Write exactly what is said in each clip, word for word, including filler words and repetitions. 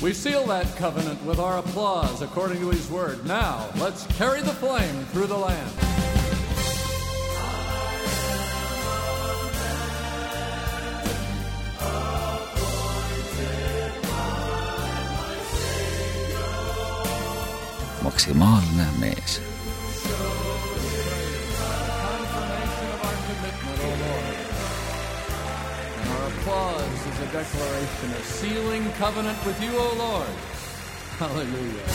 We seal that covenant with our applause according to his word. Now, let's carry the flame through the land. Maksimaalne mees. Applause is a declaration of sealing covenant with you, O Lord. Hallelujah.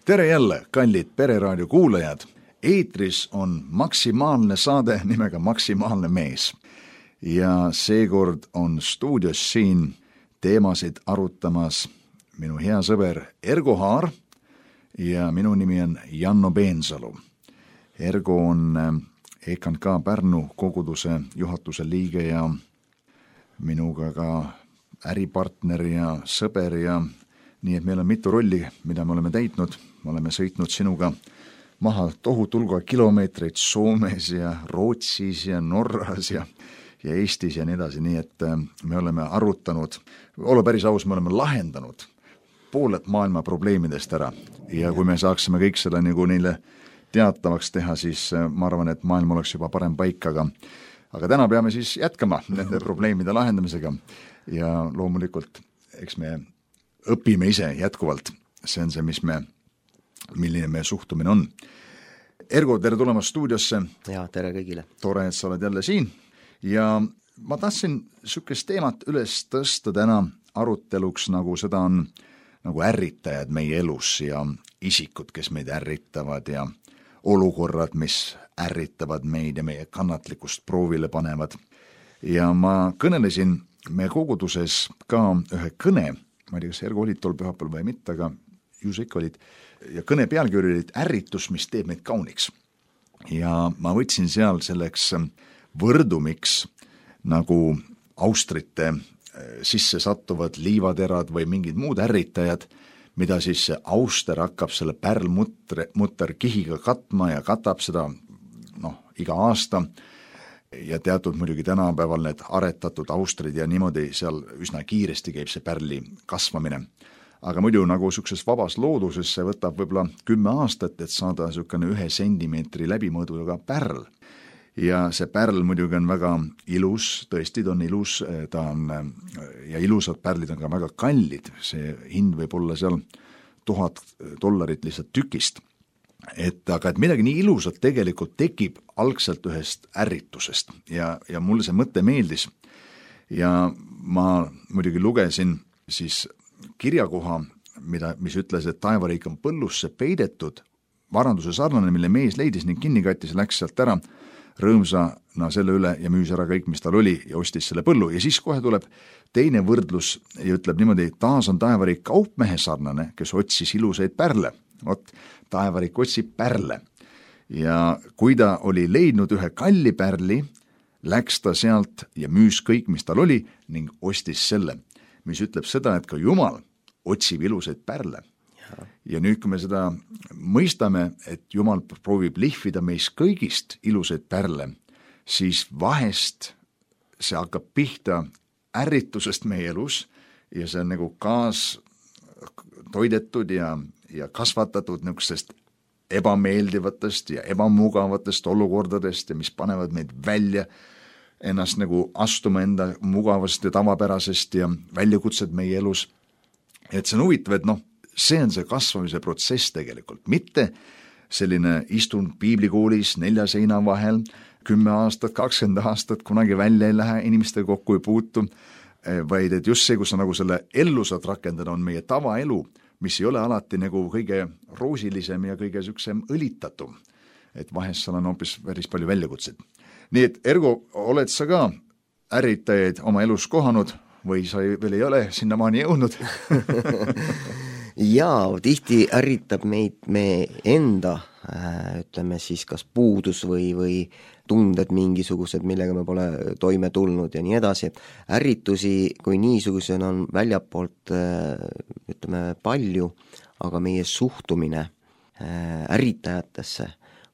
Tere jälle, kallid Pereraadio kuulajad. Eetris on maksimaalne saade nimega Maksimaalne mees. Ja seekord on stuudios siin teemasid arutamas minu hea sõber Ergo Haar ja minu nimi on Janno Peensalu. Ergo on E K N K Pärnu koguduse juhatuse liige ja minuga ka äripartner ja sõber ja nii, et meil on mitu rolli, mida me oleme täitnud. Me oleme sõitnud sinuga maha tohutulga kilomeetreid Soomes ja Rootsis ja Norras ja, ja Eestis ja nii edasi, nii et me oleme arutanud, olla päris aus, me oleme lahendanud pooled maailma probleemidest ära ja kui me saaksime kõik seda nagu neile teatavaks teha, siis ma arvan, et maailm oleks juba parem paik, aga, aga täna peame siis jätkama nende probleemide lahendamisega ja loomulikult eks me õpime ise jätkuvalt. See on see, mis me, milline meie suhtumine on. Ergo, tere tulemast stuudiosse. Ja, tere kõigile. Tore, et sa oled jälle siin ja ma tahtsin sükest teemat üles tõsta täna aruteluks, nagu seda on nagu ärritajad meie elus ja isikud, kes meid ärritavad ja olukorrad, mis ärritavad meid ja meie kannatlikkust proovile panevad. Ja ma kõnelesin meie koguduses ka ühe kõne, ma ei tea, kas Ergo olid tol pühapäeval või mitte, aga ju sa ikka olid, ja kõne pealkiri olid ärritus, mis teeb meid kauniks. Ja ma võtsin seal selleks võrdumiks nagu austrite sisse sattuvad liivaterad või mingid muud ärritajad, mida siis see auster hakkab selle pärlmutter mutter kihiga katma ja katab seda noh, iga aasta ja teatud muidugi tänapäeval need aretatud austrid ja niimoodi seal üsna kiiresti käib see pärli kasvamine. Aga muidu nagu sukses vabas looduses see võtab võib-olla kümme aastat, et saada sukene ühe sentimeetri läbimõõduga pärl. Ja see pärl muidugi on väga ilus, tõesti ta on ilus, ta on, ja ilusad pärlid on ka väga kallid, see hind võib olla seal tuhat dollarit lihtsalt tükist. Et, aga et midagi nii ilusat tegelikult tekib algselt ühest ärritusest ja, ja mulle see mõte meeldis. Ja ma muidugi lugesin siis kirjakoha, mida, mis ütles, et taevariik on põllusse peidetud, varanduse sarnane, mille mees leidis ning kinnikattis läks sealt ära, rõõmsana selle üle ja müüs ära kõik, mis tal oli ja ostis selle põllu. Ja siis kohe tuleb teine võrdlus ja ütleb niimoodi, taas on taevariik kaupmehe sarnane, kes otsis ilusaid pärle. Ot, taevariik otsib pärle. Ja kui ta oli leidnud ühe kalli pärli, läks ta sealt ja müüs kõik, mis tal oli ning ostis selle, mis ütleb seda, et ka Jumal otsib ilusaid pärle. Ja nüüd, kui me seda mõistame, et Jumal proovib lihvida meis kõigist ilusaid pärle, siis vahest see hakkab pihta ärritusest meie elus ja see on nagu kaas toidetud ja, ja kasvatatud niisugustest ebameeldivatest ja ebamugavatest olukordadest ja mis panevad meid välja ennast nagu astuma enda mugavast ja tavapärasest ja väljakutsed meie elus. Et see on huvitav, et noh, see on see kasvamise protsess tegelikult, mitte selline istun piiblikoolis nelja seina vahel, kümme aastat, kakskümmend aastat, kunagi välja ei lähe, inimestega kokku ei puutu, vaid et just see, kus sa nagu selle ellu saad rakendada, on meie tavaelu, mis ei ole alati nagu kõige roosilisem ja kõige süksem õlitatum. Et vahest seal on hoopis päris palju väljakutseid. Nii et Ergo, oled sa ka ärritajaid oma elus kohanud või sa veel ei ole sinnamaani jõudnud? Jaa, tihti ärritab meid me enda, ütleme siis kas puudus või, või tunded mingisugused, millega me pole toime tulnud ja nii edasi. Ärritusi kui niisugusena on väljapoolt, ütleme, palju, aga meie suhtumine ärritajatesse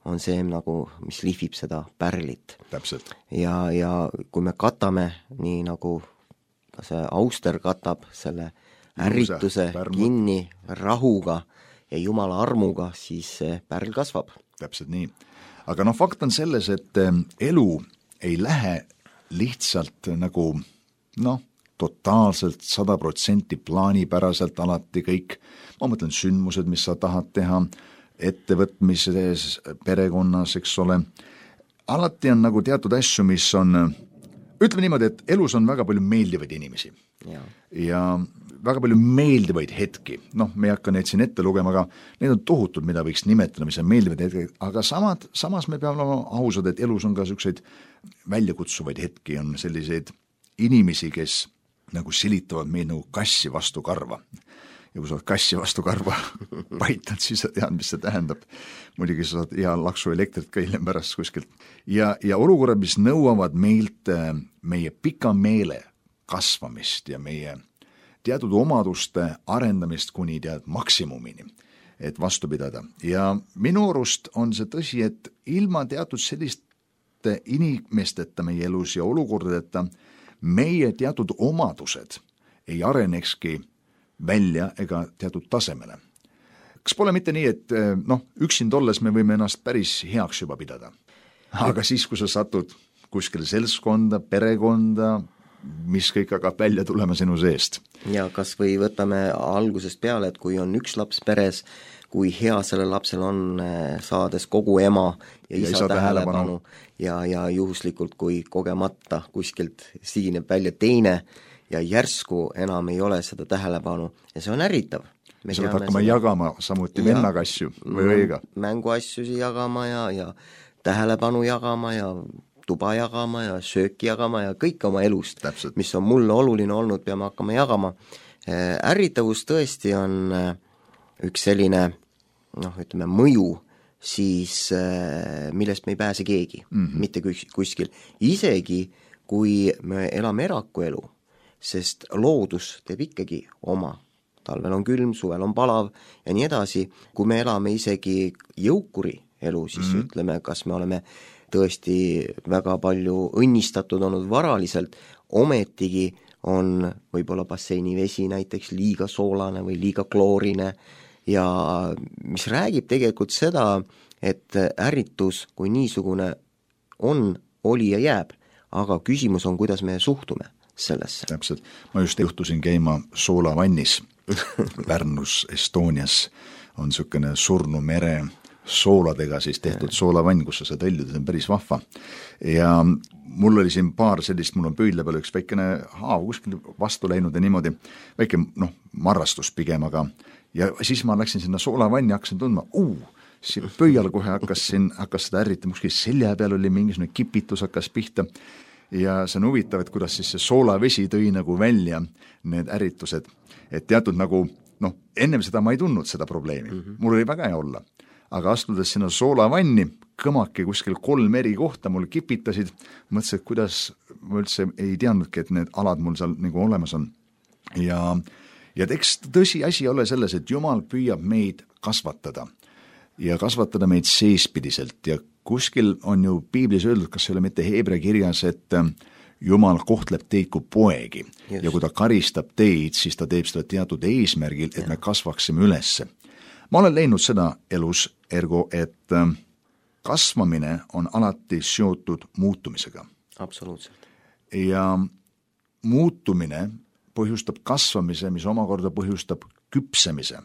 on see nagu, mis lihvib seda pärlit. Täpselt. Ja, ja kui me katame, nii nagu ka see Auster katab selle ärrituse kinni rahuga ja Jumala armuga, siis see pärl kasvab. Täpselt nii. Aga noh, fakt on selles, et elu ei lähe lihtsalt nagu noh, totaalselt sada protsenti plaanipäraselt alati kõik, ma mõtlen sündmused, mis sa tahad teha, ettevõtmises, perekonnas, eks ole, alati on nagu teatud asju, mis on, ütleme niimoodi, et elus on väga palju meeldivaid inimesi ja, ja väga palju meeldivaid hetki, noh, me ei hakka neid siin ette lugema, aga need on tohutud, mida võiks nimetada, mis on meeldivaid hetki, aga samad, samas me peame olema ausad, et elus on ka selliseid väljakutsuvaid hetki, on selliseid inimesi, kes nagu silitavad meid nagu kassi vastu karva. Ja kui sa oled kassi vastu karva paitad, siis sa tead, mis see tähendab. Muidugi sa saad hea laksu elektrit ka hiljem pärast kuskilt. Ja, ja olukorrad, mis nõuavad meilt meie pika meele kasvamist ja meie teatud omaduste arendamist kuni tead maksimumini, et vastu pidada. Ja minu arust on see tõsi, et ilma teatud selliste inimesteta meie elus ja olukordadeta meie teatud omadused ei arenekski välja ega teatud tasemele. Kas pole mitte nii, et noh, üksin tolles me võime ennast päris heaks juba pidada, aga siis, kui sa satud kuskile seltskonda, perekonda, mis kõik hakkab välja tulema sinu seest. Ja kas või võtame algusest peale, et kui on üks laps peres, kui hea selle lapsel on saades kogu ema ja, ja isa tähelepanu ja, ja juhuslikult, kui kogemata kuskilt siineb välja teine ja järsku enam ei ole seda tähelepanu ja see on ärritav. Me sa võid hakkama seda... jagama samuti vennaga asju või õiga. Mänguasjusi jagama ja, ja tähelepanu jagama ja tuba jagama ja sööki jagama ja kõik oma elust, Täpselt. Mis on mulle oluline olnud, peame hakkama jagama. Ärritavus tõesti on üks selline, noh, ütleme, mõju siis, millest me ei pääse keegi, mm-hmm. mitte kuskil. Isegi, kui me elame eraku elu, sest loodus teeb ikkagi oma. Talvel on külm, suvel on palav ja nii edasi. Kui me elame isegi jõukuri elu, siis mm-hmm. ütleme, kas me oleme tõesti väga palju õnnistatud olnud varaliselt, ometigi on võib-olla basseini vesi näiteks liiga soolane või liiga kloorine ja mis räägib tegelikult seda, et ärritus kui niisugune on, oli ja jääb, aga küsimus on, kuidas me suhtume sellesse. Täpselt. Ma just juhtusin käima soolavannis Pärnus, Estonias on niisugune surnu mere sooladega siis tehtud soolavann, kus sa saad õlluda, see on päris vahva. Ja mul oli siin paar sellist, mul on pöidle peal üks väikene haav kuskil vastu läinud ja niimoodi, väike noh, marrastus pigem, aga ja siis ma läksin sinna soolavanni, hakkasin tundma, uu, siin pöial kohe hakkas, siin, hakkas seda ärritama, kuskil selja peal oli mingisugune kipitus hakkas pihta ja see on huvitav, et kuidas siis see soolavesi tõi nagu välja need ärritused, et teatud nagu, noh, ennem seda ma ei tundnud seda probleemi, mm-hmm. mul oli väga hea olla. Aga astudes sinna soolavanni, kõmaki kuskil kolm eri kohta mul kipitasid, mõtlesin, et kuidas ma üldse ei teadnudki, et need alad mul seal nagu olemas on. Ja, ja eks tõsi asi ole selles, et Jumal püüab meid kasvatada ja kasvatada meid seespidiselt ja kuskil on ju piiblis öeldud, kas ei ole mitte Heebrea kirjas, et Jumal kohtleb teid kui poegi yes. ja kui ta karistab teid, siis ta teeb seda teatud eesmärgil, et ja. Me kasvaksime ülesse. Ma olen leidnud seda elus, ergo, et kasvamine on alati seotud muutumisega. Absoluutselt. Ja muutumine põhjustab kasvamise, mis omakorda põhjustab küpsemise.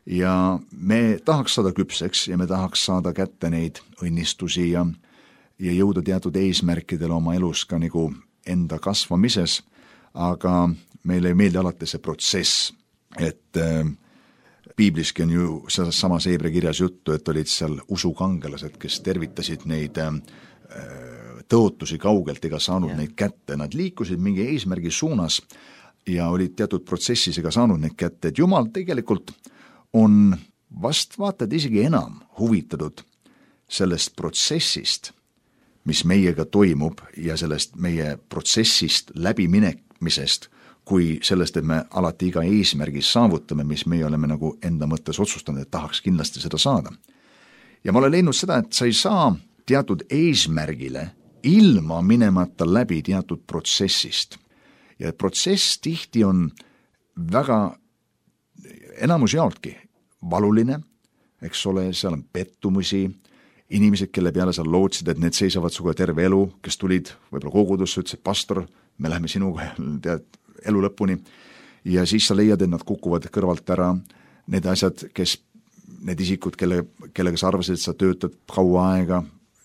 Ja me tahaks saada küpseks ja me tahaks saada kätte neid õnnistusi ja, ja jõuda teatud eesmärkidele oma elus ka nagu enda kasvamises, aga meile ei meeldi alati see protsess, et piibliski on ju selles samas Heebrea kirjas juttu, et olid seal usukangelased, kes tervitasid neid tõotusi kaugelt ega saanud yeah. neid kätte. Nad liikusid mingi eesmärgi suunas ja olid teatud protsessis ega saanud neid kätte. Et Jumal tegelikult on vast vaatad isegi enam huvitatud sellest protsessist, mis meiega toimub ja sellest meie protsessist läbiminemisest, kui sellest, et me alati iga eesmärgi saavutame, mis meie oleme nagu enda mõttes otsustanud, et tahaks kindlasti seda saada. ja ma olen leidnud seda, et sa ei saa teatud eesmärgile ilma minemata läbi teatud protsessist. Ja protsess tihti on väga enamus jaoltki valuline, eks ole, seal on pettumusi, inimesed, kelle peale sa lootsid, et need seisavad suga terve elu, kes tulid võib-olla kogudusse, ütlesid, pastor, me läheme sinuga tead, elu lõpuni, ja siis sa leiad, et nad kukuvad kõrvalt ära, need asjad, kes, need isikud, kelle, kellega sa arvasid, et sa töötad kaua aega,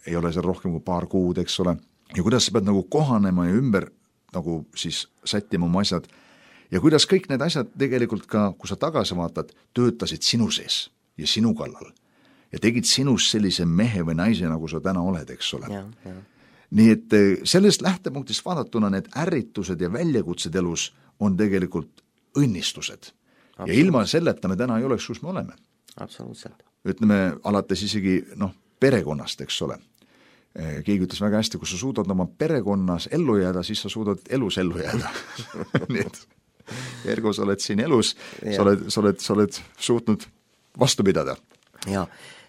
ei ole seal rohkem kui paar kuud, eks ole, ja kuidas sa pead nagu kohanema ja ümber nagu siis sättima oma asjad, ja kuidas kõik need asjad tegelikult ka, kui sa tagasi vaatad, töötasid sinu sees ja sinu kallal ja tegid sinust sellise mehe või naise, nagu sa täna oled, eks ole. Ja, ja. Nii et sellest lähtepunktist vaadatuna need ärritused ja väljakutsed elus on tegelikult õnnistused. Ja ilma selleta me täna ei oleks, kus me oleme. Absoluutselt. Ütleme, alates isegi noh, perekonnast, eks ole. Keegi ütles väga hästi, kui sa suudad oma perekonnas ellu jääda, siis sa suudad elus ellu jääda. Nii et ergo sa oled siin elus, sa oled, sa oled, sa oled suutnud vastu pidada. Ja,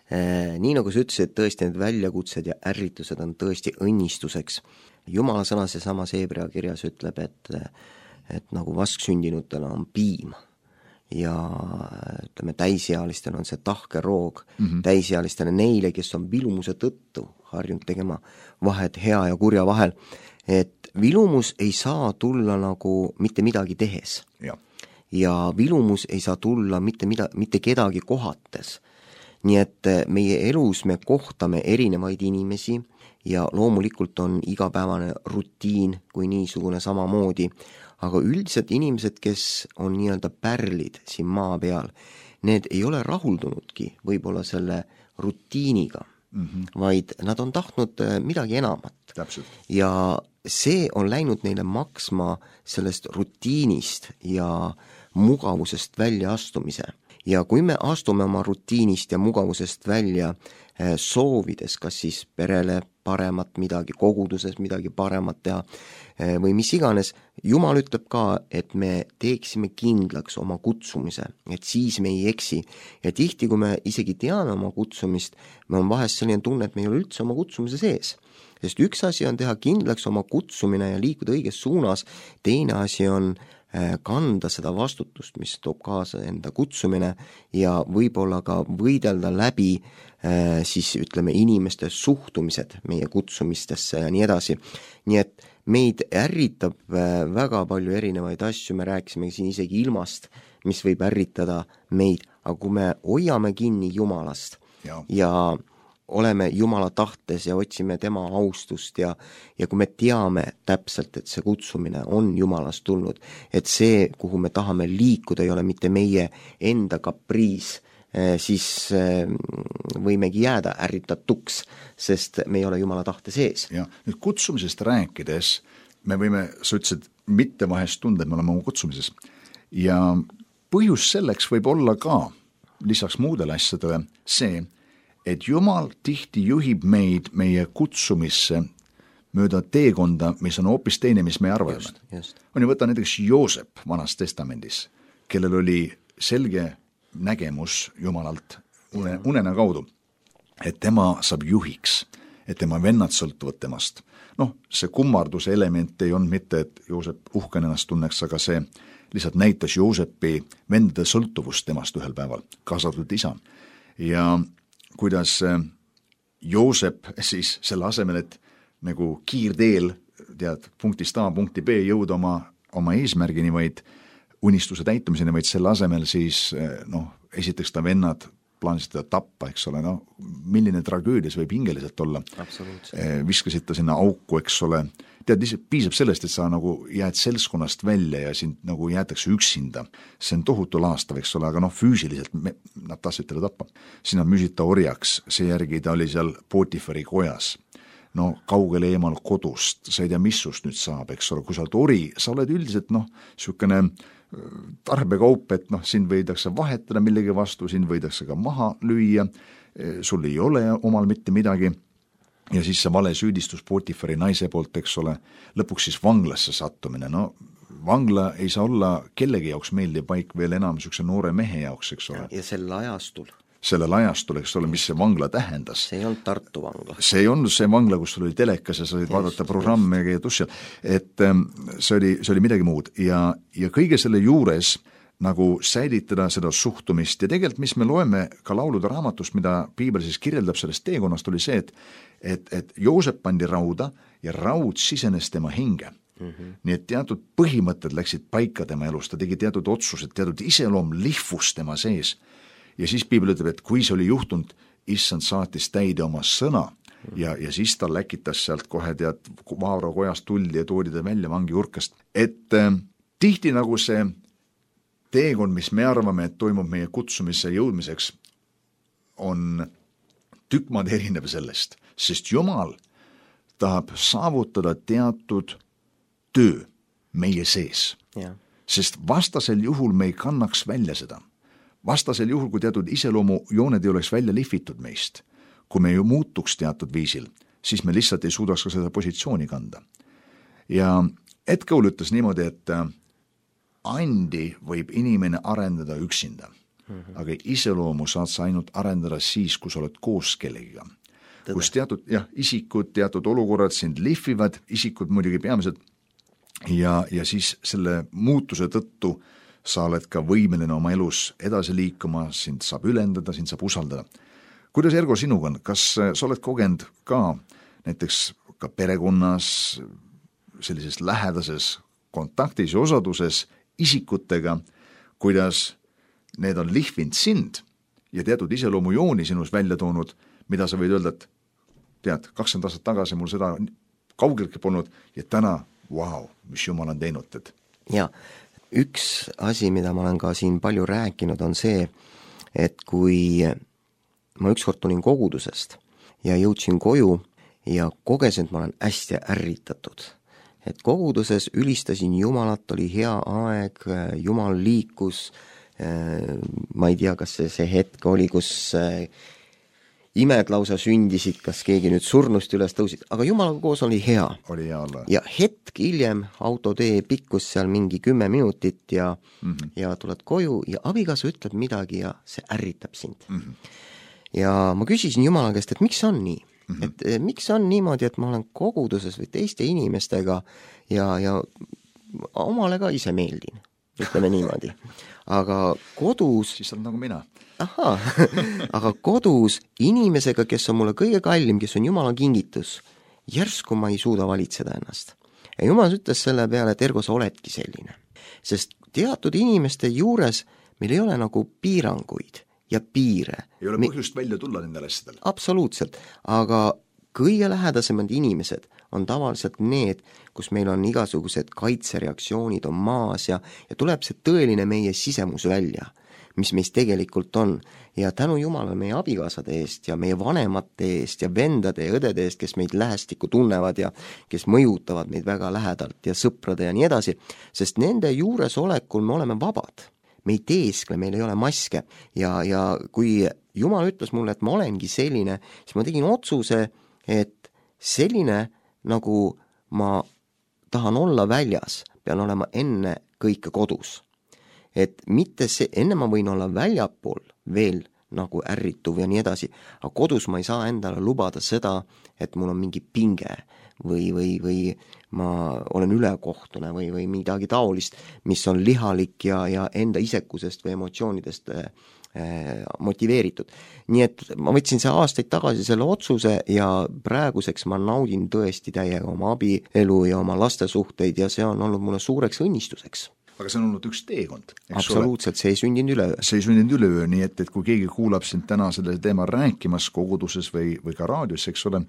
eh, nii nagu sa ütlesid, tõesti need väljakutsed ja ärritused on tõesti õnnistuseks. Jumala sõna see sama Hebra kirjas ütleb, et, et nagu vasksündinutele on piim ja ütleme, täisealistel on see tahke roog, mm-hmm. täisealistele neile, kes on vilumuse tõttu harjunud tegema vahet hea ja kurja vahel, et vilumus ei saa tulla nagu mitte midagi tehes. Ja, ja vilumus ei saa tulla mitte, mida, mitte kedagi kohates. Nii et meie elus me kohtame erinevaid inimesi ja loomulikult on igapäevane rutiin kui niisugune samamoodi, aga üldiselt inimesed, kes on nii-öelda pärlid siin maa peal, need ei ole rahuldunudki võib-olla selle rutiiniga, mm-hmm. vaid nad on tahtnud midagi enamat. Täpselt. Ja see on läinud neile maksma sellest rutiinist ja mugavusest välja astumise. Ja kui me astume oma rutiinist ja mugavusest välja soovides, kas siis perele paremat midagi, koguduses midagi paremat teha või mis iganes, Jumal ütleb ka, et me teeksime kindlaks oma kutsumise, et siis me ei eksi. Ja tihti, kui me isegi teame oma kutsumist, me on vahest selline tunne, et me ei ole üldse oma kutsumise sees. Sest üks asi on teha kindlaks oma kutsumine ja liikuda õiges suunas, teine asi on kanda seda vastutust, mis toob kaasa enda kutsumine ja võib-olla ka võidelda läbi siis ütleme inimeste suhtumised meie kutsumistesse ja nii edasi. Nii et meid ärritab väga palju erinevaid asju, me rääkisime siin isegi ilmast, mis võib ärritada meid, aga kui me hoiame kinni Jumalast ja, ja oleme Jumala tahtes ja otsime tema austust ja, ja kui me teame täpselt, et see kutsumine on Jumalast tulnud, et see, kuhu me tahame liikuda, ei ole mitte meie enda kapriis, siis võimegi jääda ärritatuks, sest me ei ole Jumala tahte sees. Ja nüüd kutsumisest rääkides, me võime, sa ütlesid, mitte vahest tunda, et me oleme oma kutsumises. Ja põhjus selleks võib olla ka, lisaks muudele asjadele, see, et Jumal tihti juhib meid meie kutsumisse mööda teekonda, mis on hoopis teine, mis me arvame. Just, just. On ju võtta näiteks Joosep vanas testamendis, kellel oli selge nägemus Jumalalt une, unena kaudu, et tema saab juhiks, et tema vennad sõltuvad temast. Noh, see kummarduse element ei olnud mitte, et Joosep uhken ennast tunneks, aga see lihtsalt näitas Joosepi vendade sõltuvust temast ühel päeval, kaasatud isa. Ja kuidas Joosep siis selle asemel, et nagu kiirteel tead, punktist A punkti B jõuda oma, oma eesmärgini, vaid unistuse täitumiseni, vaid selle asemel siis noh, esiteks ta vennad plaanisid teda tappa, eks ole, no milline tragöödia see võib hingeliselt olla. Viskasid ta sinna auku, eks ole. Tead, piisab sellest, et sa nagu jääd selskonnast välja ja sind nagu jäetakse üksinda. See on tohutu laastav, eks ole, aga noh, füüsiliselt me, nad tahtsid teda tappa. Siin nad müüsid ta orjaks, seejärgi ta oli seal Potifari kojas. No kaugele eemal kodust, sa ei tea, mis sust nüüd saab, eks ole, kui sa oled ori, sa oled üldiselt noh, sükene tarbekaup, et noh, sind võidakse vahetada millegi vastu, sind võidakse ka maha lüüa, sul ei ole omal mitte midagi ja siis see vale süüdistus Potifari naise poolt, eks ole, lõpuks siis vanglasse sattumine, no vangla ei saa olla kellegi jaoks meeldiv paik, veel enam sükse noore mehe jaoks, eks ole. Ja sel ajastul. sellel ajastul, eks ole, mis see vangla tähendas. See ei olnud Tartu vangla. See ei olnud see vangla, kus sul oli telekas ja sa olid vaadata programme ja käia tussi. Et see oli, see oli midagi muud ja, ja kõige selle juures nagu säilitada seda suhtumist ja tegelikult, mis me loeme ka laulude raamatust, mida piibel siis kirjeldab sellest teekonnast, oli see, et, et, et Joosep pandi rauda ja raud sisenes tema hinge. Mm-hmm. Nii et teatud põhimõtted läksid paika tema elus, ta tegi teatud otsused, teatud iseloom lihvus tema sees. Ja siis piibel ütleb, et kui see oli juhtunud, issand saatis täide oma sõna ja, ja siis ta läkitas sealt kohe tead Vaaro kojast tuldi ja toodi ta välja vangi urkast. Et äh, tihti nagu see teekond, mis me arvame, et toimub meie kutsumise jõudmiseks, on tükk maad erinev sellest, sest Jumal tahab saavutada teatud töö meie sees. Ja. Sest vastasel juhul me ei kannaks välja seda. Vastasel juhul, kui teatud iseloomu jooned ei oleks välja lihvitud meist, kui me ju muutuks teatud viisil, siis me lihtsalt ei suudaks ka seda positsiooni kanda. Ja Ed Cole ütles niimoodi, et andi võib inimene arendada üksinda, mm-hmm. aga iseloomu saad sa ainult arendada siis, kui sa oled koos kellegiga. Kus teatud jah, isikud, teatud olukorrad sind lihvivad, isikud muidugi peamiselt, ja, ja siis selle muutuse tõttu sa oled ka võimeline oma elus edasi liikuma, sind saab ülendada, sind saab usaldada. Kuidas, Ergo, sinuga on? Kas sa oled kogenud ka näiteks ka perekonnas sellises lähedases kontaktis ja osaduses isikutega, kuidas need on lihvinud sind ja teatud iseloomu jooni sinus välja toonud, mida sa võid öelda, et tead, kakskümmend aastat tagasi mul seda kaugeltki polnud ja täna, vau, mis Jumal on teinud. Et... Ja, üks asi, mida ma olen ka siin palju rääkinud, on see, et kui ma ükskord tulin kogudusest ja jõudsin koju ja kogesin, et ma olen hästi ärritatud. Et koguduses ülistasin Jumalat, oli hea aeg, Jumal liikus, ma ei tea, kas see, see hetk oli, kus imed lausa sündisid, kas keegi nüüd surnust üles tõusid, aga Jumalaga koos oli hea. Oli hea olla. Ja hetk hiljem autotee pikkus seal mingi kümme minutit ja, mm-hmm. ja tuled koju ja abikaasa ütleb midagi ja see ärritab sind. Mm-hmm. Ja ma küsisin Jumala käest, et miks on nii? Mm-hmm. Et miks on niimoodi, et ma olen koguduses või teiste inimestega ja, ja omale ka ise meeldin, ütleme niimoodi. Aga kodus... Siis on nagu mina. Aha, aga kodus inimesega, kes on mulle kõige kallim, kes on Jumala kingitus, järsku ma ei suuda valitseda ennast. Ja Jumal ütles selle peale, et Ergo, sa oledki selline. Sest teatud inimeste juures meil ei ole nagu piiranguid ja piire. Ei ole põhjust Me... välja tulla nendele asjadele. Absoluutselt, aga kõige lähedasemad inimesed on tavaliselt need, kus meil on igasugused kaitsereaktsioonid on maas ja, ja tuleb see tõeline meie sisemus välja, mis meist tegelikult on. Ja tänu Jumalale meie abikaasade eest ja meie vanemate eest ja vendade ja õdede eest, kes meid lähestikku tunnevad ja kes mõjutavad meid väga lähedalt ja sõprade ja nii edasi, sest nende juuresolekul me oleme vabad. Me ei teeskle, meil ei ole maske ja, ja kui Jumal ütles mulle, et ma olengi selline, siis ma tegin otsuse, et selline, nagu ma tahan olla väljas, pean olema enne kõike kodus. Et mitte see, enne ma võin olla väljapool veel nagu ärrituv ja nii edasi, aga kodus ma ei saa endale lubada seda, et mul on mingi pinge või, või, või ma olen ülekohtune või, või midagi taolist, mis on lihalik ja, ja enda isekusest või emotsioonidest eh, motiveeritud. Nii et ma võtsin see aastaid tagasi selle otsuse ja praeguseks ma naudin tõesti täiega oma abielu ja oma lastesuhteid ja see on olnud mulle suureks õnnistuseks. Aga see on olnud üks teekond. Absoluutselt, see ei sündinud üleöö. See ei sündinud üleöö, nii et, et kui keegi kuulab sind täna selle teema rääkimas koguduses või, või ka raadios, eks ole,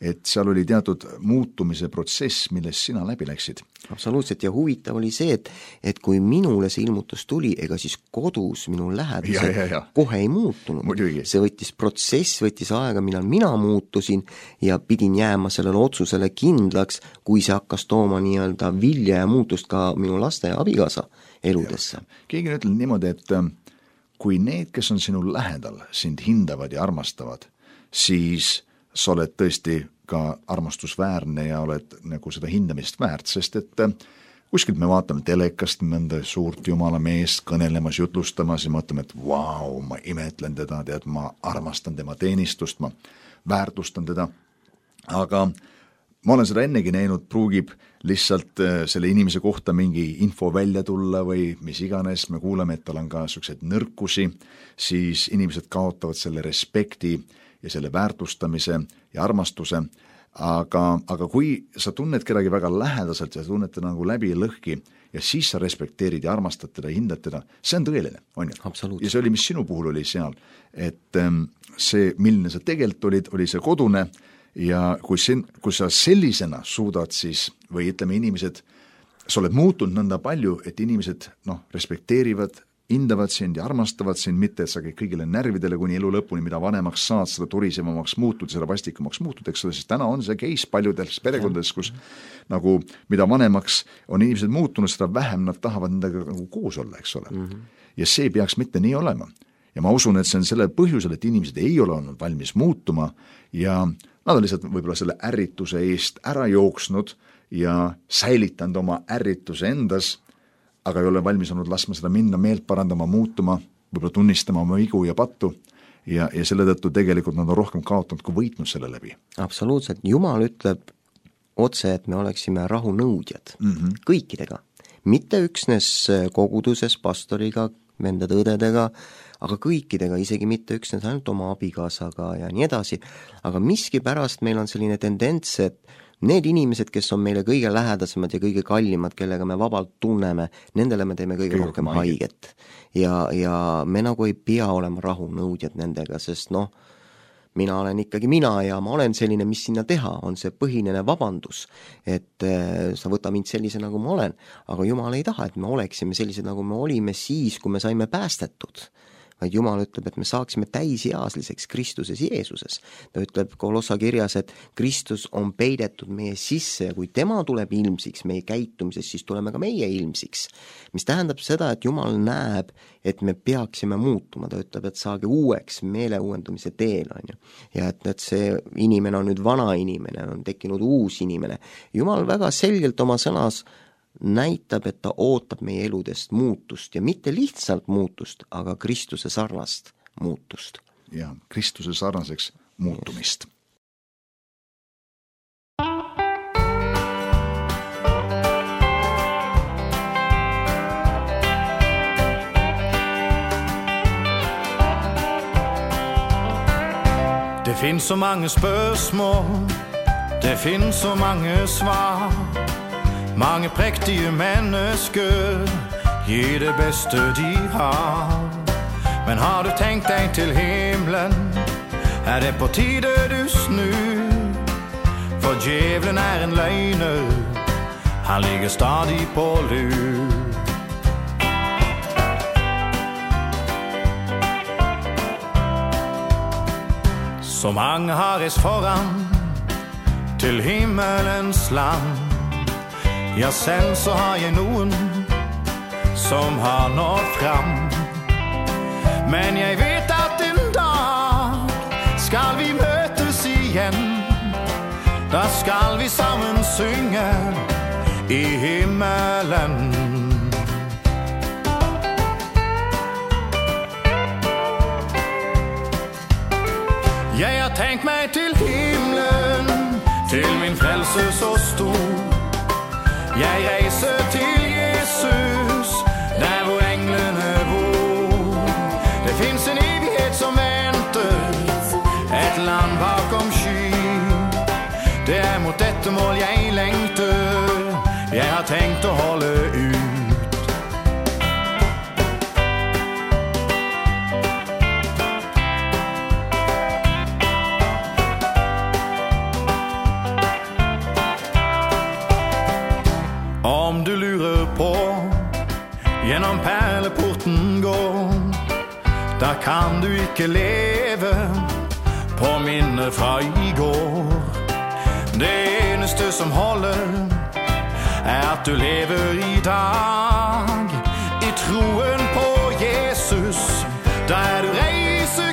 et seal oli teatud muutumise protsess, millest sina läbi läksid. Absoluutselt, ja huvitav oli see, et, et kui minule see ilmutus tuli, ega siis kodus minu lähedused kohe ei muutunud. Muidugi. See võttis protsess, võttis aega, millal mina muutusin ja pidin jääma sellele otsusele kindlaks, kui see hakkas tooma nii-öelda vilja ja muutust ka minu laste ja abikaasa eludesse. Keegi on ütelnud niimoodi, et kui need, kes on sinu lähedal, sind hindavad ja armastavad, siis sa oled tõesti ka armastusväärne ja oled nagu seda hindamist väärt, sest et kuskilt me vaatame telekast mõnda suurt jumala meest kõnelemas, jutlustamas ja mõtleme, et vau, ma imetlen teda, tead, ma armastan tema teenistust, ma väärtustan teda, aga ma olen seda ennegi näinud, pruugib lihtsalt selle inimese kohta mingi info välja tulla või mis iganes, me kuuleme, et tal on ka sellised nõrkusi, siis inimesed kaotavad selle respekti ja selle väärtustamise ja armastuse, aga, aga kui sa tunned kedagi väga lähedaselt ja sa tunned teda nagu läbi ja lõhki ja siis sa respekteerid ja armastad teda, hindad teda, see on tõeline, on ju? Ja see oli, mis sinu puhul oli seal, et see, milline sa tegelikult olid, oli see kodune ja kui, sen, kui sa sellisena suudad siis, või ütleme inimesed, sa oled muutunud nõnda palju, et inimesed noh, respekteerivad, hindavad sind ja armastavad sind, mitte et sa käid kõigile närvidele kuni elu lõpuni, mida vanemaks saad, seda turisevamaks muutud, seda vastikumaks muutud, eks ole, sest täna on see case paljudes perekondades, kus nagu mida vanemaks on inimesed muutunud, seda vähem nad tahavad nendega nagu koos olla, eks ole. Mm -hmm. Ja see peaks mitte nii olema. Ja ma usun, et see on selle põhjusel, et inimesed ei ole olnud valmis muutuma ja nad on lihtsalt võib-olla selle ärrituse eest ära jooksnud ja säilitanud oma ärrituse endas, aga ei ole valmis olnud laskma seda minna, meelt parandama, muutuma, võib-olla tunnistama oma vigu ja pattu ja, ja selle tõttu tegelikult nad on rohkem kaotanud kui võitnud selle läbi. Absoluutselt, Jumal ütleb otse, et me oleksime rahunõudjad mm -hmm. kõikidega, mitte üksnes koguduses, pastoriga, vendade õdedega, aga kõikidega, isegi mitte üksnes ainult oma abikaasaga ja nii edasi, aga miskipärast meil on selline tendents, et need inimesed, kes on meile kõige lähedasemad ja kõige kallimad, kellega me vabalt tunneme, nendele me teeme kõige, kõige rohkem haiget. Ja, ja me nagu ei pea olema rahunõudjad nendega, sest noh, mina olen ikkagi mina ja ma olen selline, mis sinna teha, on see põhinene vabandus, et äh, sa võta mind sellise, nagu ma olen, aga Jumal ei taha, et me oleksime sellised, nagu me olime siis, kui me saime päästetud. Vaid Jumal ütleb, et me saaksime täisealiseks Kristuses Jeesuses. Ta ütleb Kolossa kirjas, et Kristus on peidetud meie sisse ja kui tema tuleb ilmsiks meie käitumises, siis tuleme ka meie ilmsiks. Mis tähendab seda, et Jumal näeb, et me peaksime muutuma. Ta ütleb, et saage uueks meeleuuendumise teel, on ju. Ja et, et see inimene on nüüd vana inimene, on tekkinud uus inimene. Jumal väga selgelt oma sõnas näitab, et ta ootab meie eludest muutust ja mitte lihtsalt muutust, aga Kristuse sarnast muutust. Ja, Kristuse sarnaseks muutumist. Det finns så mange spørsmål, det finns så mange svar. Mange prægtige mennesker gir det beste de har. Men har du tænkt dig til himlen, er det på tide du snur. For djævlen er en løgner, han ligger stadig på lur. Så mange har rest foran til himmelens land. Ja, selv så har jeg noen som har nått fram. Men jeg vet at en dag skal vi møtes igjen. Da skal vi sammen synge i himmelen. Jeg har tenkt meg til himlen, til min frelse så stor. Jeg reiser til Jesus, der hvor englene bor. Det finns en evighet som venter, et land bakom sky. Det er mot dette mål jeg lengter, jeg har tenkt å holde ut. Om du lurer på gjennom perleporten går, da kan du ikke leve på minne fra i går. Det eneste som holder er at du lever i dag i troen på Jesus. Da er du reiseklar.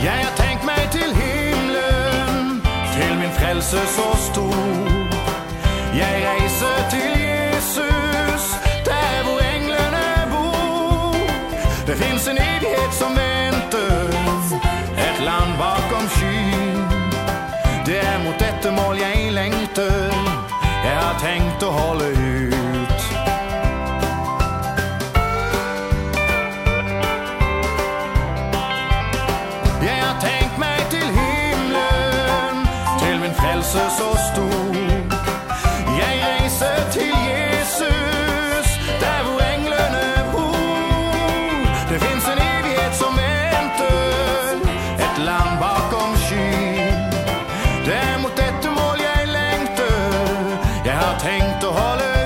Jeg har tenkt meg til himlen, til min frelse så stor. Jeg reiser til evighet som venter, et land bakom skyn. Det er mot dette mål jeg lengter, jeg har tenkt å holde ut. Jeg har tenkt meg til himmelen, til min frelse så stor. Jeg reiser til Jesus, der hvor englene bor. Det finnes en evighet som venter, et land bakom skyen. Det er mot dette mål jeg lengter, jeg har tenkt å holde ut.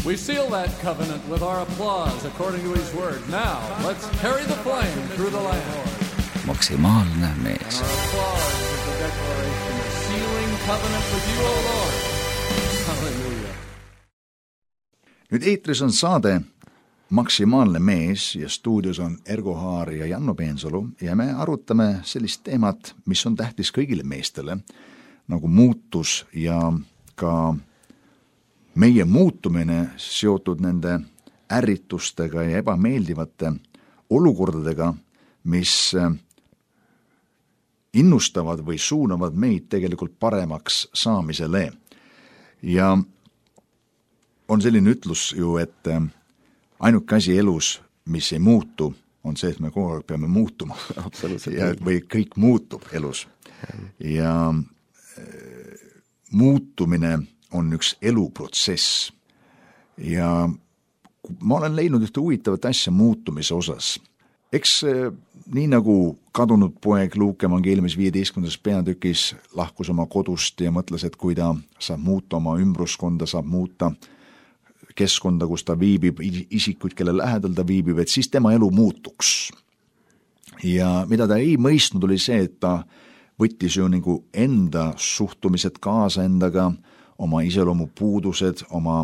We seal that covenant with our applause according to his word. Now, let's carry the flame through the land. Maksimaalne mees. And our applause is the declaration of sealing covenant with you, O Lord. Hallelujah. Nüüd eetris on saade Maksimaalne mees ja stuudios on Ergo Haar ja Janno Peensalu ja me arutame sellist teemat, mis on tähtis kõigile meestele, nagu muutus ja ka meie muutumine seotud nende ärritustega ja ebameeldivate olukordadega, mis innustavad või suunavad meid tegelikult paremaks saamisele. Ja on selline ütlus ju, et ainuke asi elus, mis ei muutu, on see, et me kogu aeg peame muutuma. Ja, või kõik muutub elus. Ja muutumine on üks eluprotsess ja ma olen leidnud ühte huvitavat asja muutumise osas. Eks nii nagu kadunud poeg Luuke evangeeliumis viieteistkümnendas peatükis lahkus oma kodust ja mõtles, et kui ta saab muuta oma ümbruskonda, saab muuta keskkonda, kus ta viibib, isikuid, kelle lähedal ta viibib, et siis tema elu muutuks. Ja mida ta ei mõistnud, oli see, et ta võttis ju nagu enda suhtumised kaasa endaga, oma iseloomu puudused, oma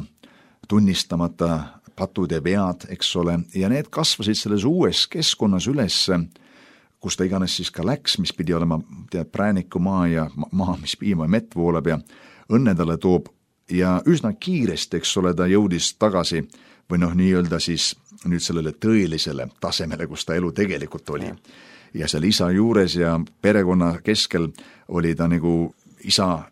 tunnistamata patud ja vead, eks ole, ja need kasvasid selles uues keskkonnas üles, kus ta iganes siis ka läks, mis pidi olema tead, prääniku maa ja maa, mis piima ja mett voolab ja õnne talle toob, ja üsna kiiresti, eks ole, ta jõudis tagasi või noh, nii-öelda siis nüüd sellele tõelisele tasemele, kus ta elu tegelikult oli. Ja seal isa juures ja perekonna keskel oli ta nagu isa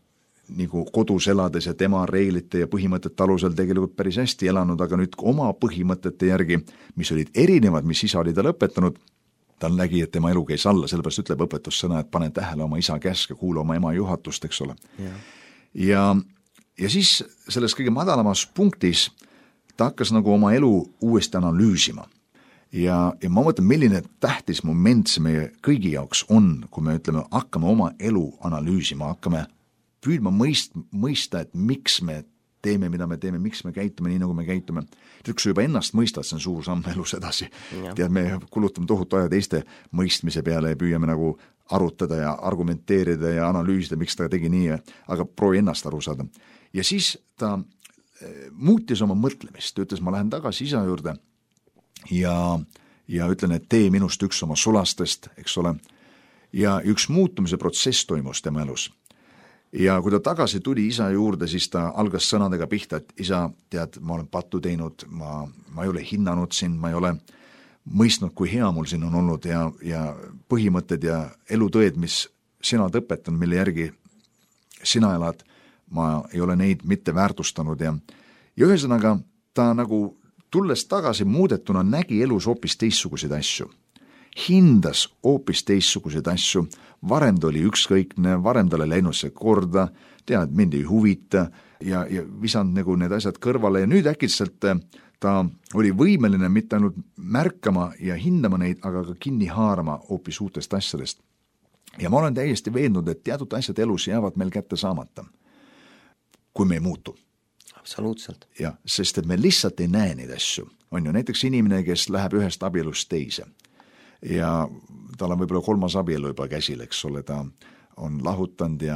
nagu kodus elades ja tema reeglite ja põhimõtete alusel tegelikult päris hästi elanud, aga nüüd oma põhimõtete järgi, mis olid erinevad, mis isa oli ta lõpetanud, ta nägi, et tema elu käis alla, sellepärast ütleb õpetussõna, et pane tähele oma isa käske, kuula oma ema juhatust, eks ole. Ja, ja, ja siis selles kõige madalamas punktis ta hakkas nagu oma elu uuesti analüüsima. Ja, ja ma mõtlen, milline tähtis moment see meie kõigi jaoks on, kui me ütleme, hakkame oma elu analüüsima, hakkame püüdma mõist, mõista, et miks me teeme, mida me teeme, miks me käitume nii, nagu me käitume. Tead, kui sa juba ennast mõistad, see on suur samm elus edasi. Tead, me kulutame tohutu aja teiste mõistmise peale ja püüame nagu arutada ja argumenteerida ja analüüsida, miks ta tegi nii, aga proovi ennast aru saada. Ja siis ta muutis oma mõtlemist, ta ütles, ma lähen tagasi isa juurde ja, ja ütlen, et tee minust üks oma sulastest, eks ole. Ja üks muutumise protsess toimus tema elus. Ja kui ta tagasi tuli isa juurde, siis ta algas sõnadega pihta, et isa, tead, ma olen pattu teinud, ma, ma ei ole hinnanud sind, ma ei ole mõistnud, kui hea mul siin on olnud ja, ja põhimõtted ja elutõed, mis sina oled õpetanud, mille järgi sina elad, ma ei ole neid mitte väärtustanud ja, ja ühesõnaga ta nagu tulles tagasi muudetuna nägi elus hoopis teistsuguseid asju. Hindas hoopis teistsuguseid asju, varem ta oli ükskõikne, varem ta oli läinud see korda, tead, mind ei huvita ja, ja visanud nagu need asjad kõrvale ja nüüd äkitselt ta oli võimeline mitte ainult märkama ja hindama neid, aga ka kinni haarama hoopis uutest asjadest. Ja ma olen täiesti veendunud, et teatud asjad elus jäävad meil kätte saamata, kui me ei muutu. Absoluutselt. Ja, sest et me lihtsalt ei näe neid asju. On ju näiteks inimene, kes läheb ühest abielust teise. Ja tal on võib-olla kolmas abielu juba käsil, eks ole, ta on lahutanud ja,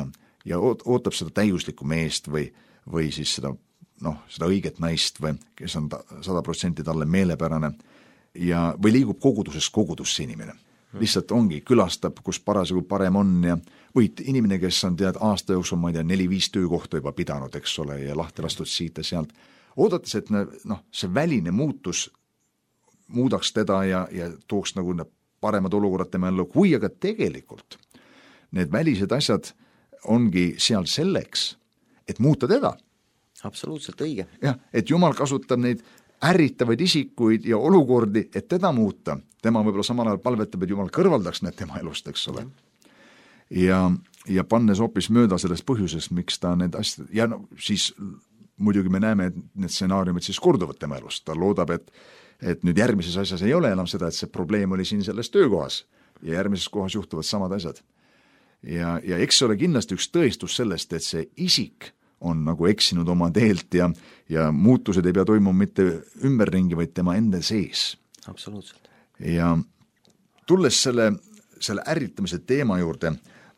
ja ootab seda täiuslikku meest või, või siis seda noh, seda õiget naist või kes on sada protsenti talle meelepärane ja, või liigub kogudusest kogudusse inimene. Lihtsalt ongi, külastab, kus parasjagu parem on ja või inimene, kes on tead aasta jooksul, ma ei tea, neli-viis töökohta juba pidanud, eks ole, ja lahti lastud siit ja sealt, oodates, et noh, see väline muutus muudaks teda ja, ja tooks nagu paremad olukorrad tema ellu, kui aga tegelikult need välised asjad ongi seal selleks, et muuta teda. Absoluutselt õige. jah, et Jumal kasutab neid ärritavaid isikuid ja olukordi, et teda muuta. Tema võib-olla samal ajal palvetab, et Jumal kõrvaldaks need tema elust, eks ole. Ja, ja pannes hoopis mööda sellest põhjusest, miks ta need asjad, ja no, siis muidugi me näeme, et need stsenaariumid siis korduvad tema elust. Ta loodab, et, et nüüd järgmises asjas ei ole enam seda, et see probleem oli siin selles töökohas ja järgmises kohas juhtuvad samad asjad. Ja, ja eks ole kindlasti üks tõestus sellest, et see isik on nagu eksinud oma teelt ja, ja muutused ei pea toimuma mitte ümberringi, vaid tema enda sees. Absoluutselt. Ja tulles selle, selle ärritamise teema juurde,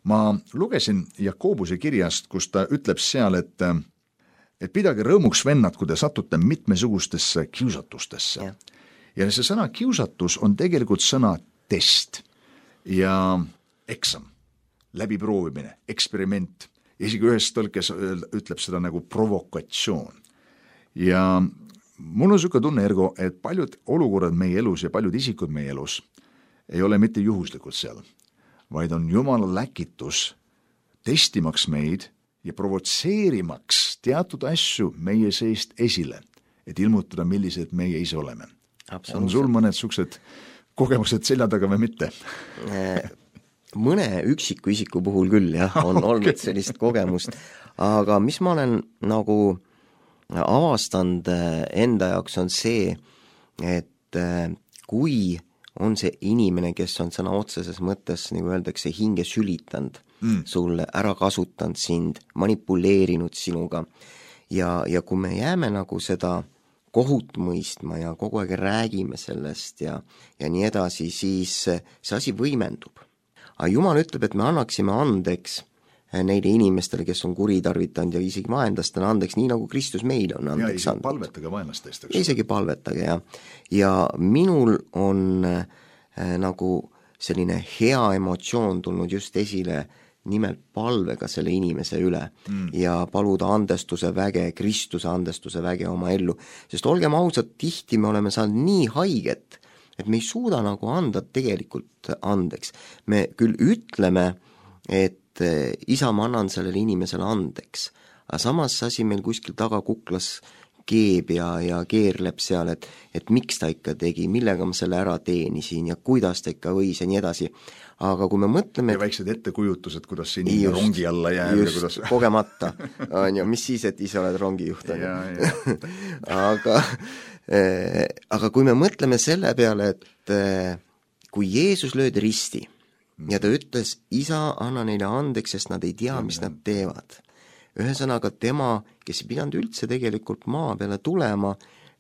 ma lugesin Jakobuse kirjast, kus ta ütleb seal, et, et pidage rõõmuks vennad, kui te satute mitmesugustesse kiusatustesse. Ja. ja see sõna kiusatus on tegelikult sõna test ja eksam, läbiproovimine, eksperiment. Isegi ühes tõlkes ütleb seda nagu provokatsioon. Ja mul on niisugune tunne, Ergo, et paljud olukorrad meie elus ja paljud isikud meie elus ei ole mitte juhuslikult seal, vaid on Jumala läkitus testimaks meid ja provotseerimaks teatud asju meie seest esile, et ilmutada, millised meie ise oleme. On sul mõned niisugused kogemused selja taga või mitte? Mõne üksiku isiku puhul küll, jah, on okay. olnud sellist kogemust, aga mis ma olen nagu avastanud enda jaoks on see, et kui on see inimene, kes on sõna otseses mõttes, nagu öeldakse, hinge sülitanud mm. sulle, ära kasutanud sind, manipuleerinud sinuga ja, ja kui me jääme nagu seda kohut mõistma ja kogu aeg räägime sellest ja, ja nii edasi, siis see asi võimendub. Aga Jumal ütleb, et me annaksime andeks neile inimestele, kes on kuritarvitanud ja isegi vaenlastele andeks, nii nagu Kristus meile on andeks andnud. Ja isegi palvetage vaenlastest. Isegi palvetage, jah. Ja minul on äh, nagu selline hea emotsioon tulnud just esile nimelt palvega selle inimese üle mm. ja paluda andestuse väge, Kristuse andestuse väge oma ellu. Sest olgem ausad, tihti me oleme saanud nii haiget, et me ei suuda nagu anda tegelikult andeks. Me küll ütleme, et isa, ma annan sellele inimesele andeks, aga samas asi meil kuskil taga kuklas keeb ja, ja keerleb seal, et, et miks ta ikka tegi, millega ma selle ära teenisin ja kuidas ta ikka võis ja nii edasi. Aga kui me mõtleme... Ja väiksed ettekujutused, kuidas see inimene just, rongi alla jääb. Just, kuidas... kogemata. On ju, mis siis, et ise oled rongijuht. Ja, ja. aga... aga kui me mõtleme selle peale, et kui Jeesus löödi risti ja ta ütles, isa, anna neile andeks, sest nad ei tea, mis nad teevad. Ühesõnaga tema, kes ei pidanud üldse tegelikult maa peale tulema,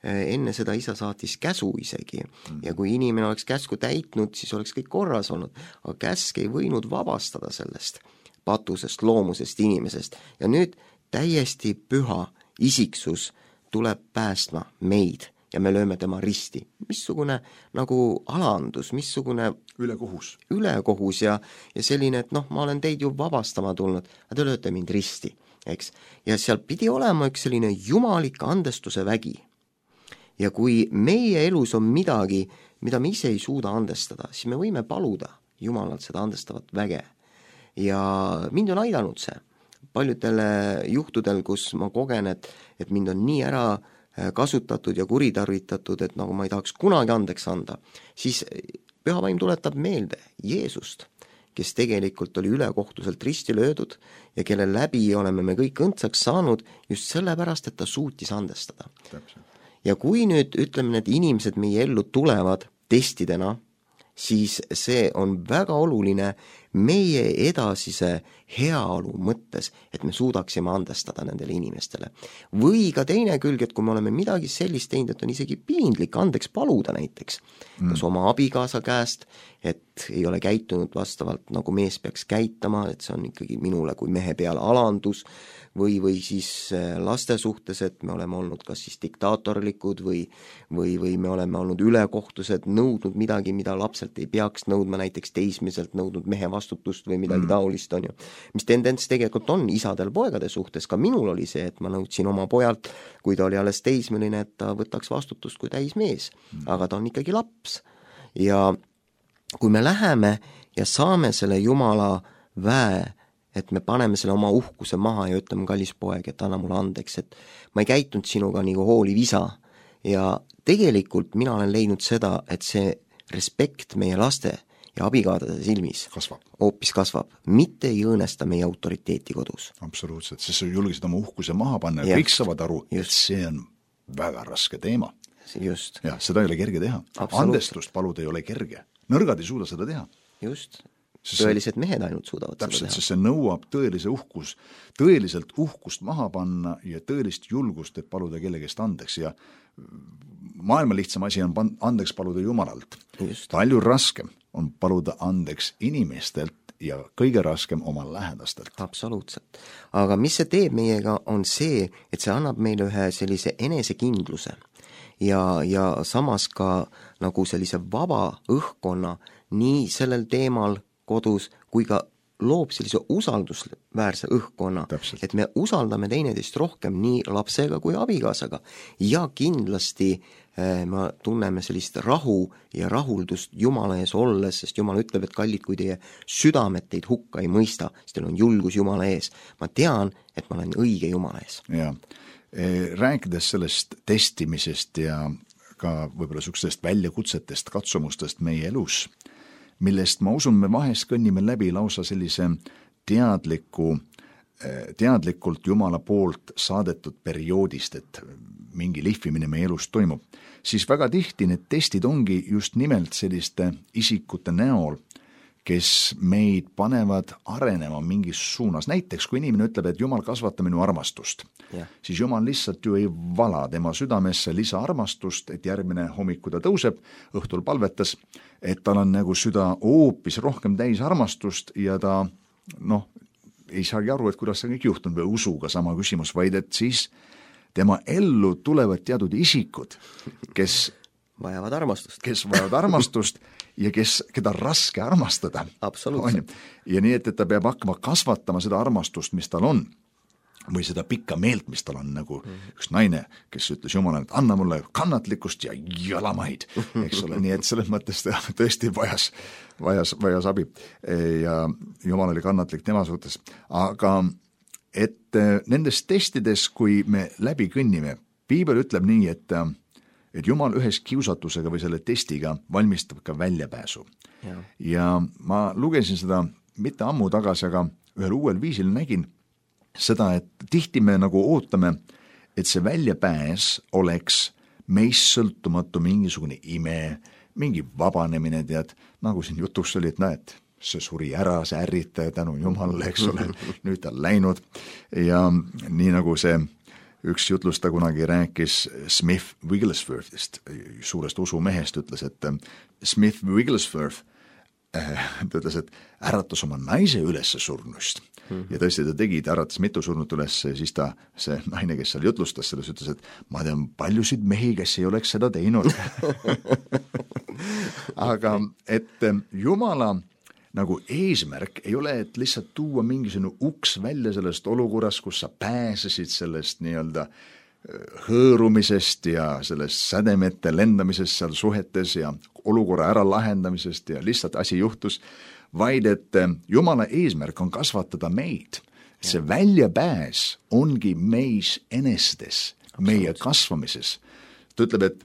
enne seda isa saatis käsu isegi ja kui inimene oleks käsku täitnud, siis oleks kõik korras olnud, aga käsk ei võinud vabastada sellest patusest, loomusest, inimesest ja nüüd täiesti püha isiksus tuleb päästma meid ja me lööme tema risti. Missugune nagu alandus, missugune ülekohus, ülekohus ja, ja selline, et noh, ma olen teid ju vabastama tulnud, aga te lööte mind risti, eks. Ja seal pidi olema üks selline jumalik andestuse vägi. Ja kui meie elus on midagi, mida me ise ei suuda andestada, siis me võime paluda Jumalalt seda andestavat väge. Ja mind on aidanud see. Paljudele juhtudel, kus ma kogen, et, et mind on nii ära kasutatud ja kuritarvitatud, et nagu ma ei tahaks kunagi andeks anda, siis Püha Vaim tuletab meelde Jeesust, kes tegelikult oli ülekohtuselt risti löödud ja kelle läbi oleme me kõik õndsaks saanud just sellepärast, et ta suutis andestada. Täpselt. Ja kui nüüd ütleme, need inimesed meie ellu tulevad testidena, siis see on väga oluline meie edasise heaolu mõttes, et me suudaksime andestada nendele inimestele. Või ka teine külg, et kui me oleme midagi sellist teinud, et on isegi piinlik andeks paluda näiteks, mm. kas oma abikaasa käest, et ei ole käitunud vastavalt, nagu mees peaks käitama, et see on ikkagi minule kui mehe peale alandus, või, või siis laste suhtes, et me oleme olnud kas siis diktaatorlikud või, või, või me oleme olnud ülekohtused, nõudnud midagi, mida lapselt ei peaks nõudma, näiteks teismiselt nõudnud mehe vastutust või midagi mm. taolist, on ju. Mis tendents tegelikult on isadel poegade suhtes, ka minul oli see, et ma nõudsin oma pojalt, kui ta oli alles teismeline, et ta võtaks vastutust kui täismees, mm. aga ta on ikkagi laps. Ja kui me läheme ja saame selle Jumala väe, et me paneme selle oma uhkuse maha ja ütleme, kallis poeg, et anna mulle andeks, et ma ei käitunud sinuga nagu hooliv isa. Ja tegelikult mina olen leidnud seda, et see respekt meie laste ja abikaadade silmis kasvab. Hoopis kasvab, mitte ei õõnesta meie autoriteeti kodus. Absoluutselt, sest sa julgesid oma uhkuse maha panna ja kõik saavad aru, just. Et see on väga raske teema. Just. Ja seda ei ole kerge teha. Andestust paluda ei ole kerge. Nõrgad ei suuda seda teha. Just. Tõelised mehed ainult suudavad täpselt, seda teha. Sest see nõuab tõelise uhkus, tõeliselt uhkust maha panna ja tõelist julgust, et paluda kellegest andeks ja maailma lihtsam asi on andeks paluda Jumalalt. Just. Palju raskem on paluda andeks inimestelt ja kõige raskem oma lähedastelt. Absoluutselt. Aga mis see teeb meiega on see, et see annab meile ühe sellise enesekindluse ja, ja samas ka nagu sellise vaba õhkkonna nii sellel teemal kodus, kui ka loob sellise usaldusväärse õhkkonna, Täpselt. Et me usaldame teineteist rohkem nii lapsega kui abikaasaga ja kindlasti eh, me tunneme sellist rahu ja rahuldust Jumala ees olles, sest Jumal ütleb, et kallid, kui teie südamed teid hukka ei mõista, siis teil on julgus Jumala ees. Ma tean, et ma olen õige Jumala ees. Ja. Rääkides sellest testimisest ja ka võib-olla sükstest väljakutsetest, katsumustest meie elus, millest ma usun, me vahest kõnnime läbi lausa sellise teadliku, teadlikult Jumala poolt saadetud perioodist, et mingi lihvimine meie elus toimub, siis väga tihti need testid ongi just nimelt selliste isikute näol, kes meid panevad arenema mingis suunas. Näiteks, kui inimene ütleb, et Jumal kasvata minu armastust, yeah. siis Jumal lihtsalt ju ei vala tema südamesse lisa armastust, et järgmine hommiku ta tõuseb, õhtul palvetas, et tal on nagu süda hoopis rohkem täis armastust ja ta noh, ei saagi aru, et kuidas see kõik juhtunud või usuga sama küsimus, vaid et siis tema ellu tulevad teatud isikud, kes vajavad armastust. Kes vajavad armastust ja kes, keda raske armastada. Absoluutselt. Ja nii, et, et ta peab hakkama kasvatama seda armastust, mis tal on, või seda pikka meelt, mis tal on, nagu mm-hmm. üks naine, kes ütles Jumalale, et anna mulle kannatlikkust ja jalamaid, eks ole, nii et selles mõttes ta tõesti vajas, vajas, vajas abi ja Jumal oli kannatlik tema suhtes. Aga et nendes testides, kui me läbi kõnnime, Piibel ütleb nii, et et Jumal ühes kiusatusega või selle testiga valmistab ka väljapääsu. Ja. ja ma lugesin seda mitte ammu tagasi, aga ühel uuel viisil nägin seda, et tihti me nagu ootame, et see väljapääs oleks meist sõltumatu mingisugune ime, mingi vabanemine, tead, nagu siin jutuks oli, et näed, see suri ära, see ärritaja tänu Jumalale, eks ole, nüüd ta on läinud ja nii nagu see üks jutlusta kunagi rääkis Smith Wigglesworthist, suurest usumehest, ütles, et Smith Wigglesworth äh, ta ütles, et äratas oma naise üles surnust mm-hmm. ja tõesti ta tegi, ta äratas mitu surnut üles, siis ta, see naine, kes seal jutlustas selles, ütles, et ma tean paljusid mehi, kes ei oleks seda teinud. Aga et Jumala nagu eesmärk ei ole, et lihtsalt tuua mingisugune uks välja sellest olukorrast, kus sa pääsesid sellest nii-öelda hõõrumisest ja sellest sädemete lendamisest seal suhetes ja olukorra ära lahendamisest ja lihtsalt asi juhtus, vaid et Jumala eesmärk on kasvatada meid. See väljapääs ongi meis enestes, meie kasvamises. Ta ütleb, et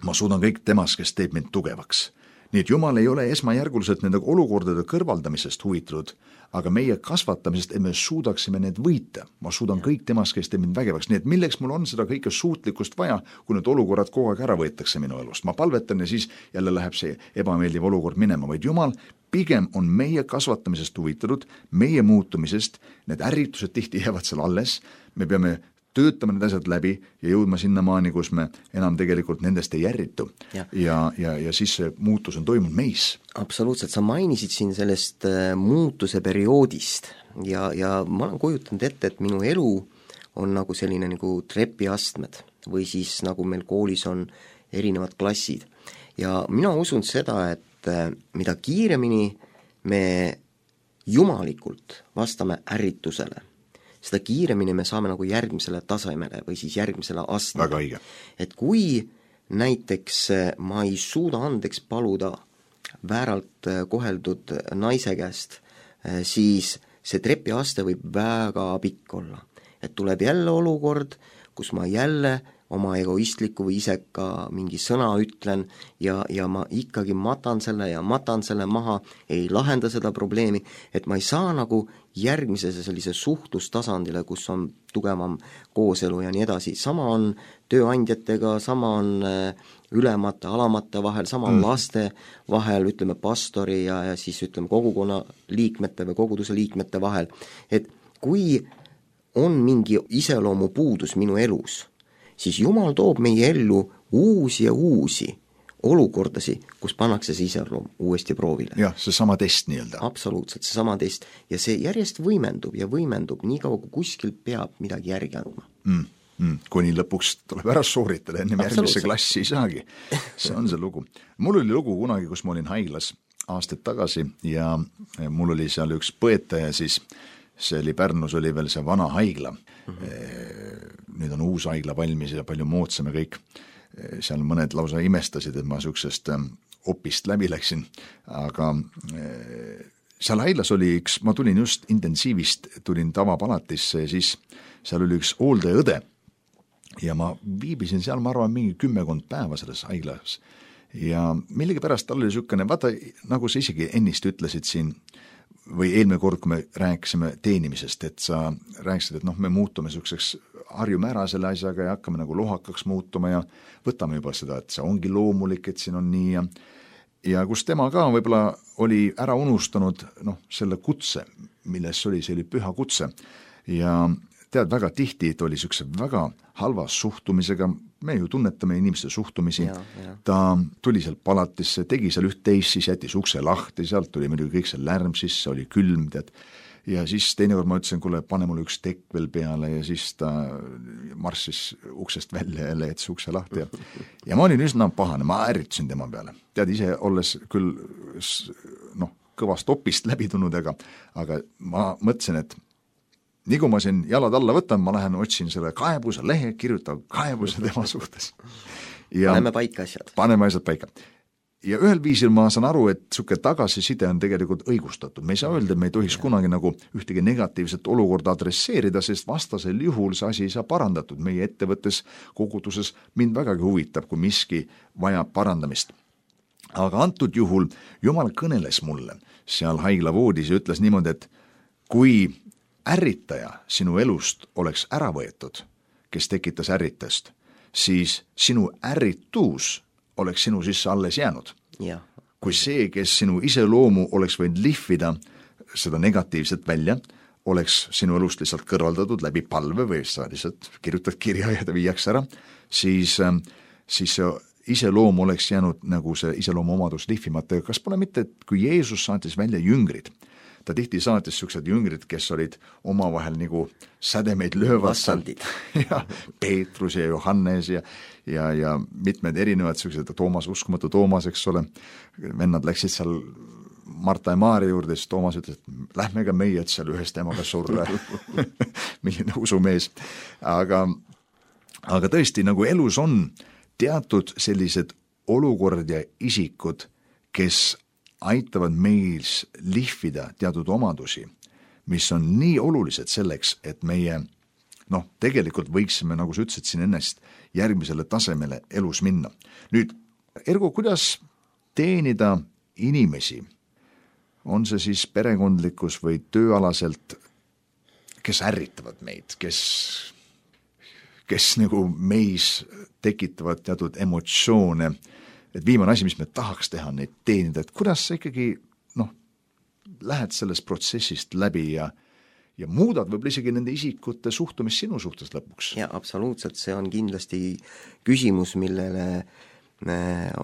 ma suudan kõik temas, kes teeb mind tugevaks. nii et Jumal ei ole esmajärguliselt nende olukordade kõrvaldamisest huvitatud, aga meie kasvatamisest, et me suudaksime need võita. Ma suudan ja. kõik temast, kes teeb mind vägevaks, nii et milleks mul on seda kõike suutlikkust vaja, kui need olukorrad kogu aeg ära võetakse minu elust. Ma palvetan ja siis jälle läheb see ebameeldiv olukord minema, vaid Jumal pigem on meie kasvatamisest huvitatud, meie muutumisest, need ärritused tihti jäävad seal alles, me peame töötame need asjad läbi ja jõudma sinna maani, kus me enam tegelikult nendest ei ärritu. Ja, ja, ja, ja siis see muutus on toimunud meis. Absoluutselt, sa mainisid siin sellest muutuse perioodist ja, ja ma olen kujutanud ette, et minu elu on nagu selline nagu trepiastmed või siis nagu meil koolis on erinevad klassid. Ja mina usun seda, et mida kiiremini me jumalikult vastame ärritusele, seda kiiremini me saame nagu järgmisele tasemele või siis järgmisele astmele. Väga õige. Et kui näiteks ma ei suuda andeks paluda vääralt koheldud naise käest, siis see trepiaste võib väga pikk olla. Et tuleb jälle olukord, kus ma jälle oma egoistliku või iseka mingi sõna ütlen ja, ja ma ikkagi matan selle ja matan selle maha, ei lahenda seda probleemi, et ma ei saa nagu järgmise sellise suhtlustasandile, kus on tugevam kooselu ja nii edasi. Sama on tööandjatega, sama on ülemate, alamate vahel, sama on mm. laste vahel, ütleme pastori ja, ja siis ütleme kogukonna liikmete või koguduse liikmete vahel. Et kui on mingi iseloomu puudus minu elus, siis Jumal toob meie ellu uusi ja uusi olukordasi, kus pannakse see iseloom uuesti proovile. Jah, see sama test nii-öelda. Absoluutselt, see sama test. Ja see järjest võimendub ja võimendub nii kaua, kui kuskil peab midagi järgi andma. Mm, mm, kuni lõpuks tuleb ära sooritada, ennem järgmisse klassi ei saagi. See on see lugu. Mul oli lugu kunagi, kus ma olin haiglas aastaid tagasi ja mul oli seal üks põetaja siis, see oli Pärnus, oli veel see vana haigla. Mm-hmm. Nüüd on uus haigla valmis ja palju moodsam ja kõik. Seal mõned lausa imestasid, et ma süksest opist läbi läksin, aga seal haiglas oli üks, ma tulin just intensiivist, tulin tavapalatisse ja siis seal oli üks hooldajaõde ja ma viibisin seal, ma arvan, mingi kümmekond päeva selles haiglas ja millegi pärast tal oli sükene, vaata, nagu sa isegi ennist ütlesid siin, või eelmine kord, kui me rääkisime teenimisest, et sa rääkisid, et noh, me muutume sükseks, harjume ära selle asjaga ja hakkame nagu lohakaks muutuma ja võtame juba seda, et see ongi loomulik, et siin on nii ja ja kus tema ka võib-olla oli ära unustanud noh, selle kutse, milles oli, see oli püha kutse ja tead, väga tihti, et oli sükse väga halva suhtumisega, me ju tunnetame inimeste suhtumisi, ja, ja. Ta tuli seal palatisse, tegi seal üht-teist, siis jättis ukse lahti, sealt tuli muidugi kõik see lärm sisse, oli külm, tead, ja siis teinekord ma ütlesin, kuule, pane mulle üks tekk veel peale ja siis ta marssis uksest välja ja jättis ukse lahti ja, ja ma olin üsna pahane, ma ärritasin tema peale. Tead, ise olles küll noh, kõvast opist läbi tulnud, aga, aga ma mõtlesin, et nii kui ma siin jalad alla võtan, ma lähen otsin selle kaebuse lehe, kirjutan kaebuse tema suhtes. Ja paneme paika asjad. Paneme asjad paika. Ja ühel viisil ma saan aru, et suke tagasiside on tegelikult õigustatud. Me ei saa öelda, et me ei tohiks kunagi nagu ühtegi negatiivset olukorda adresseerida, sest vastasel juhul see asi ei saa parandatud. Meie ettevõttes, koguduses mind vägagi huvitab, kui miski vajab parandamist. Aga antud juhul Jumal kõneles mulle seal haiglavoodis ja ütles niimoodi, et kui ärritaja sinu elust oleks ära võetud, kes tekitas ärritust, siis sinu ärritus oleks sinu sisse alles jäänud. Ja. Kui see, kes sinu iseloomu oleks võinud lihvida seda negatiivset välja, oleks sinu elust lihtsalt kõrvaldatud läbi palve või sa lihtsalt kirjutad kirja ja ta viiaks ära, siis, siis see iseloom oleks jäänud nagu see iseloomu omadus lihvimata. Kas pole mitte, et kui Jeesus saatis välja jüngrid, ta tihti saatis siuksed jüngrid, kes olid omavahel nagu sädemeid löövad ja Peetrus ja Johannes ja, ja, ja mitmed erinevad siuksed, Toomas, uskumatu Toomas, eks ole, vennad läksid seal Marta ja Maarja juurde, siis Toomas ütles, et lähme ka meie, et seal ühest emaga surra. Milline usumees. Aga, aga tõesti, nagu elus on teatud sellised olukorrad ja isikud, kes aitavad meil lihvida teatud omadusi, mis on nii olulised selleks, et meie, noh, tegelikult võiksime, nagu sa ütlesid siin ennest, järgmisele tasemele elus minna. Nüüd, Ergo, kuidas teenida inimesi, on see siis perekondlikus või tööalaselt, kes ärritavad meid, kes, kes nagu meis tekitavad teatud emotsioone, et viimane asi, mis me tahaks teha, neid teenida, et kuidas sa ikkagi noh, lähed sellest protsessist läbi ja ja muudad võib-olla isegi nende isikute suhtumist sinu suhtes lõpuks. Ja absoluutselt, see on kindlasti küsimus, millele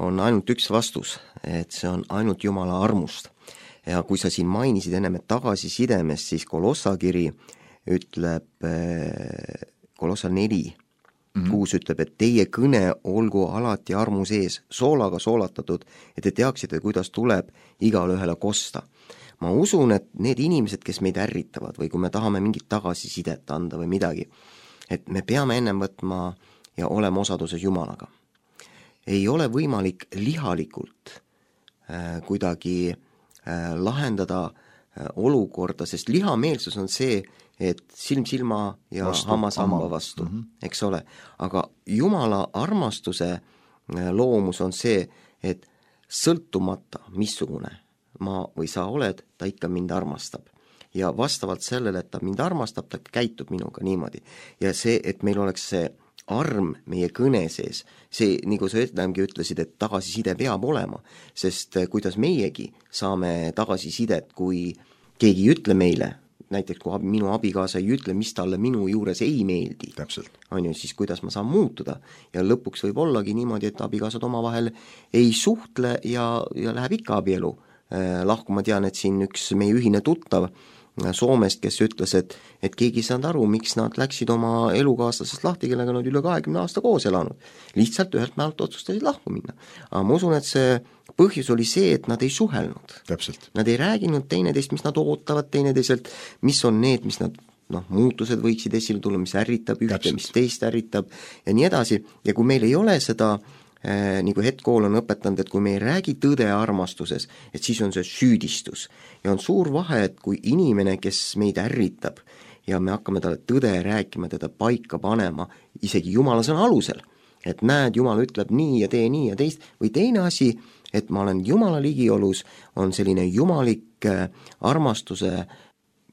on ainult üks vastus, et see on ainult Jumala armust. Ja kui sa siin mainisid ennem tagasisidemest, siis Kolossa kiri ütleb, Kolossa neli, mm-hmm. kuus ütleb, et teie kõne olgu alati armu sees, soolaga soolatatud, et te teaksite, kuidas tuleb igale ühele kosta. Ma usun, et need inimesed, kes meid ärritavad või kui me tahame mingit tagasisidet anda või midagi, et me peame ennem võtma ja olema osaduses Jumalaga. Ei ole võimalik lihalikult äh, kuidagi äh, lahendada äh, olukorda, sest lihameelsus on see, et silm silma ja vastu, hammas hamba vastu, mm-hmm. eks ole. Aga Jumala armastuse äh, loomus on see, et sõltumata missugune ma või sa oled, ta ikka mind armastab. Ja vastavalt sellele, et ta mind armastab, ta käitub minuga niimoodi. Ja see, et meil oleks see arm meie kõne sees, see, nagu sa ütlemgi ütlesid, et tagasiside peab olema, sest kuidas meiegi saame tagasisidet, kui keegi ei ütle meile, näiteks kui minu abikaasa ei ütle, mis talle minu juures ei meeldi, on ju, siis kuidas ma saan muutuda. Ja lõpuks võib ollagi niimoodi, et abikaasad omavahel ei suhtle ja, ja läheb ikka abielu lahku. Ma tean, et siin üks meie ühine tuttav Soomest, kes ütles, et, et keegi ei saanud aru, miks nad läksid oma elukaaslasest lahti, kellega nad üle kahekümne aasta koos elanud. Lihtsalt ühelt mäelt otsustasid lahku minna. Aga ma usun, et see põhjus oli see, et nad ei suhelnud. Täpselt. Nad ei rääginud teineteist, mis nad ootavad teineteiselt, mis on need, mis nad noh, muutused võiksid esile tulla, mis ärritab ühte, Täpselt. Mis teist ärritab ja nii edasi. Ja kui meil ei ole seda Äh, nagu hetkool on õpetanud, et kui me ei räägi tõde armastuses, et siis on see süüdistus. Ja on suur vahe, et kui inimene, kes meid ärritab ja me hakkame talle tõde rääkima, teda paika panema, isegi Jumala sõna alusel, et näed, Jumal ütleb nii ja tee nii ja teist, või teine asi, et ma olen Jumala ligiolus, on selline jumalik armastuse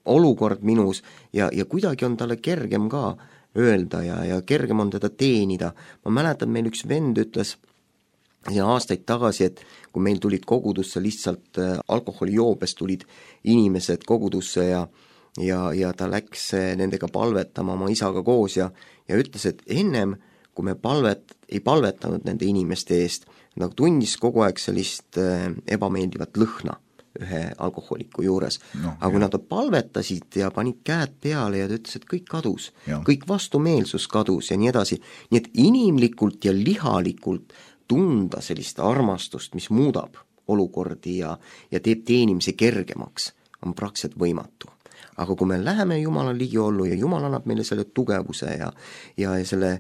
olukord minus ja, ja kuidagi on talle kergem ka öelda ja, ja kergem on teda teenida. Ma mäletan, meil üks vend ütles ja aastaid tagasi, et kui meil tulid kogudusse lihtsalt äh, alkoholijoobest tulid inimesed kogudusse ja, ja, ja ta läks nendega palvetama oma isaga koos ja, ja ütles, et ennem kui me palvet, ei palvetanud nende inimeste eest, nagu tundis kogu aeg sellist äh, ebameeldivat lõhna ühe alkoholiku juures. No, aga kui nad palvetasid ja panid käed peale ja ta ütles, et kõik kadus, ja. kõik vastumeelsus kadus ja nii edasi. Nii et inimlikult ja lihalikult tunda sellist armastust, mis muudab olukordi ja, ja teeb teenimise kergemaks, on praktiliselt võimatu. Aga kui me läheme Jumala ligiollu ja Jumal annab meile selle tugevuse ja, ja selle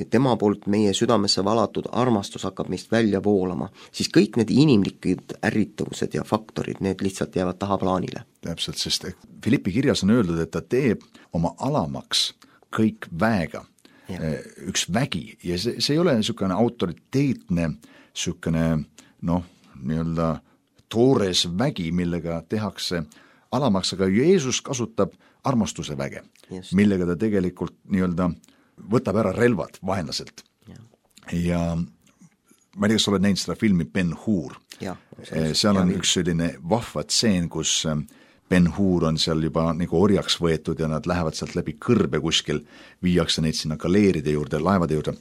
tema poolt meie südamesse valatud armastus hakkab meist välja voolama, siis kõik need inimlikud ärritavused ja faktorid, need lihtsalt jäävad tahaplaanile. Täpselt, sest Filippi kirjas on öeldud, et ta teeb oma alamaks kõik väega, ja. üks vägi ja see, see ei ole niisugune autoriteetne niisugune noh, nii-öelda toores vägi, millega tehakse alamaks, aga Jeesus kasutab armastuse väge, Just. millega ta tegelikult nii-öelda võtab ära relvad vaenlaselt. Ja, ja ma ei tea, kas oled näinud seda filmi Ben-Hur. Seal on üks selline vahva tseen, kus Ben-Hur on seal juba nagu orjaks võetud ja nad lähevad sealt läbi kõrbe kuskil, viiakse neid sinna galeeride juurde, laevade juurde,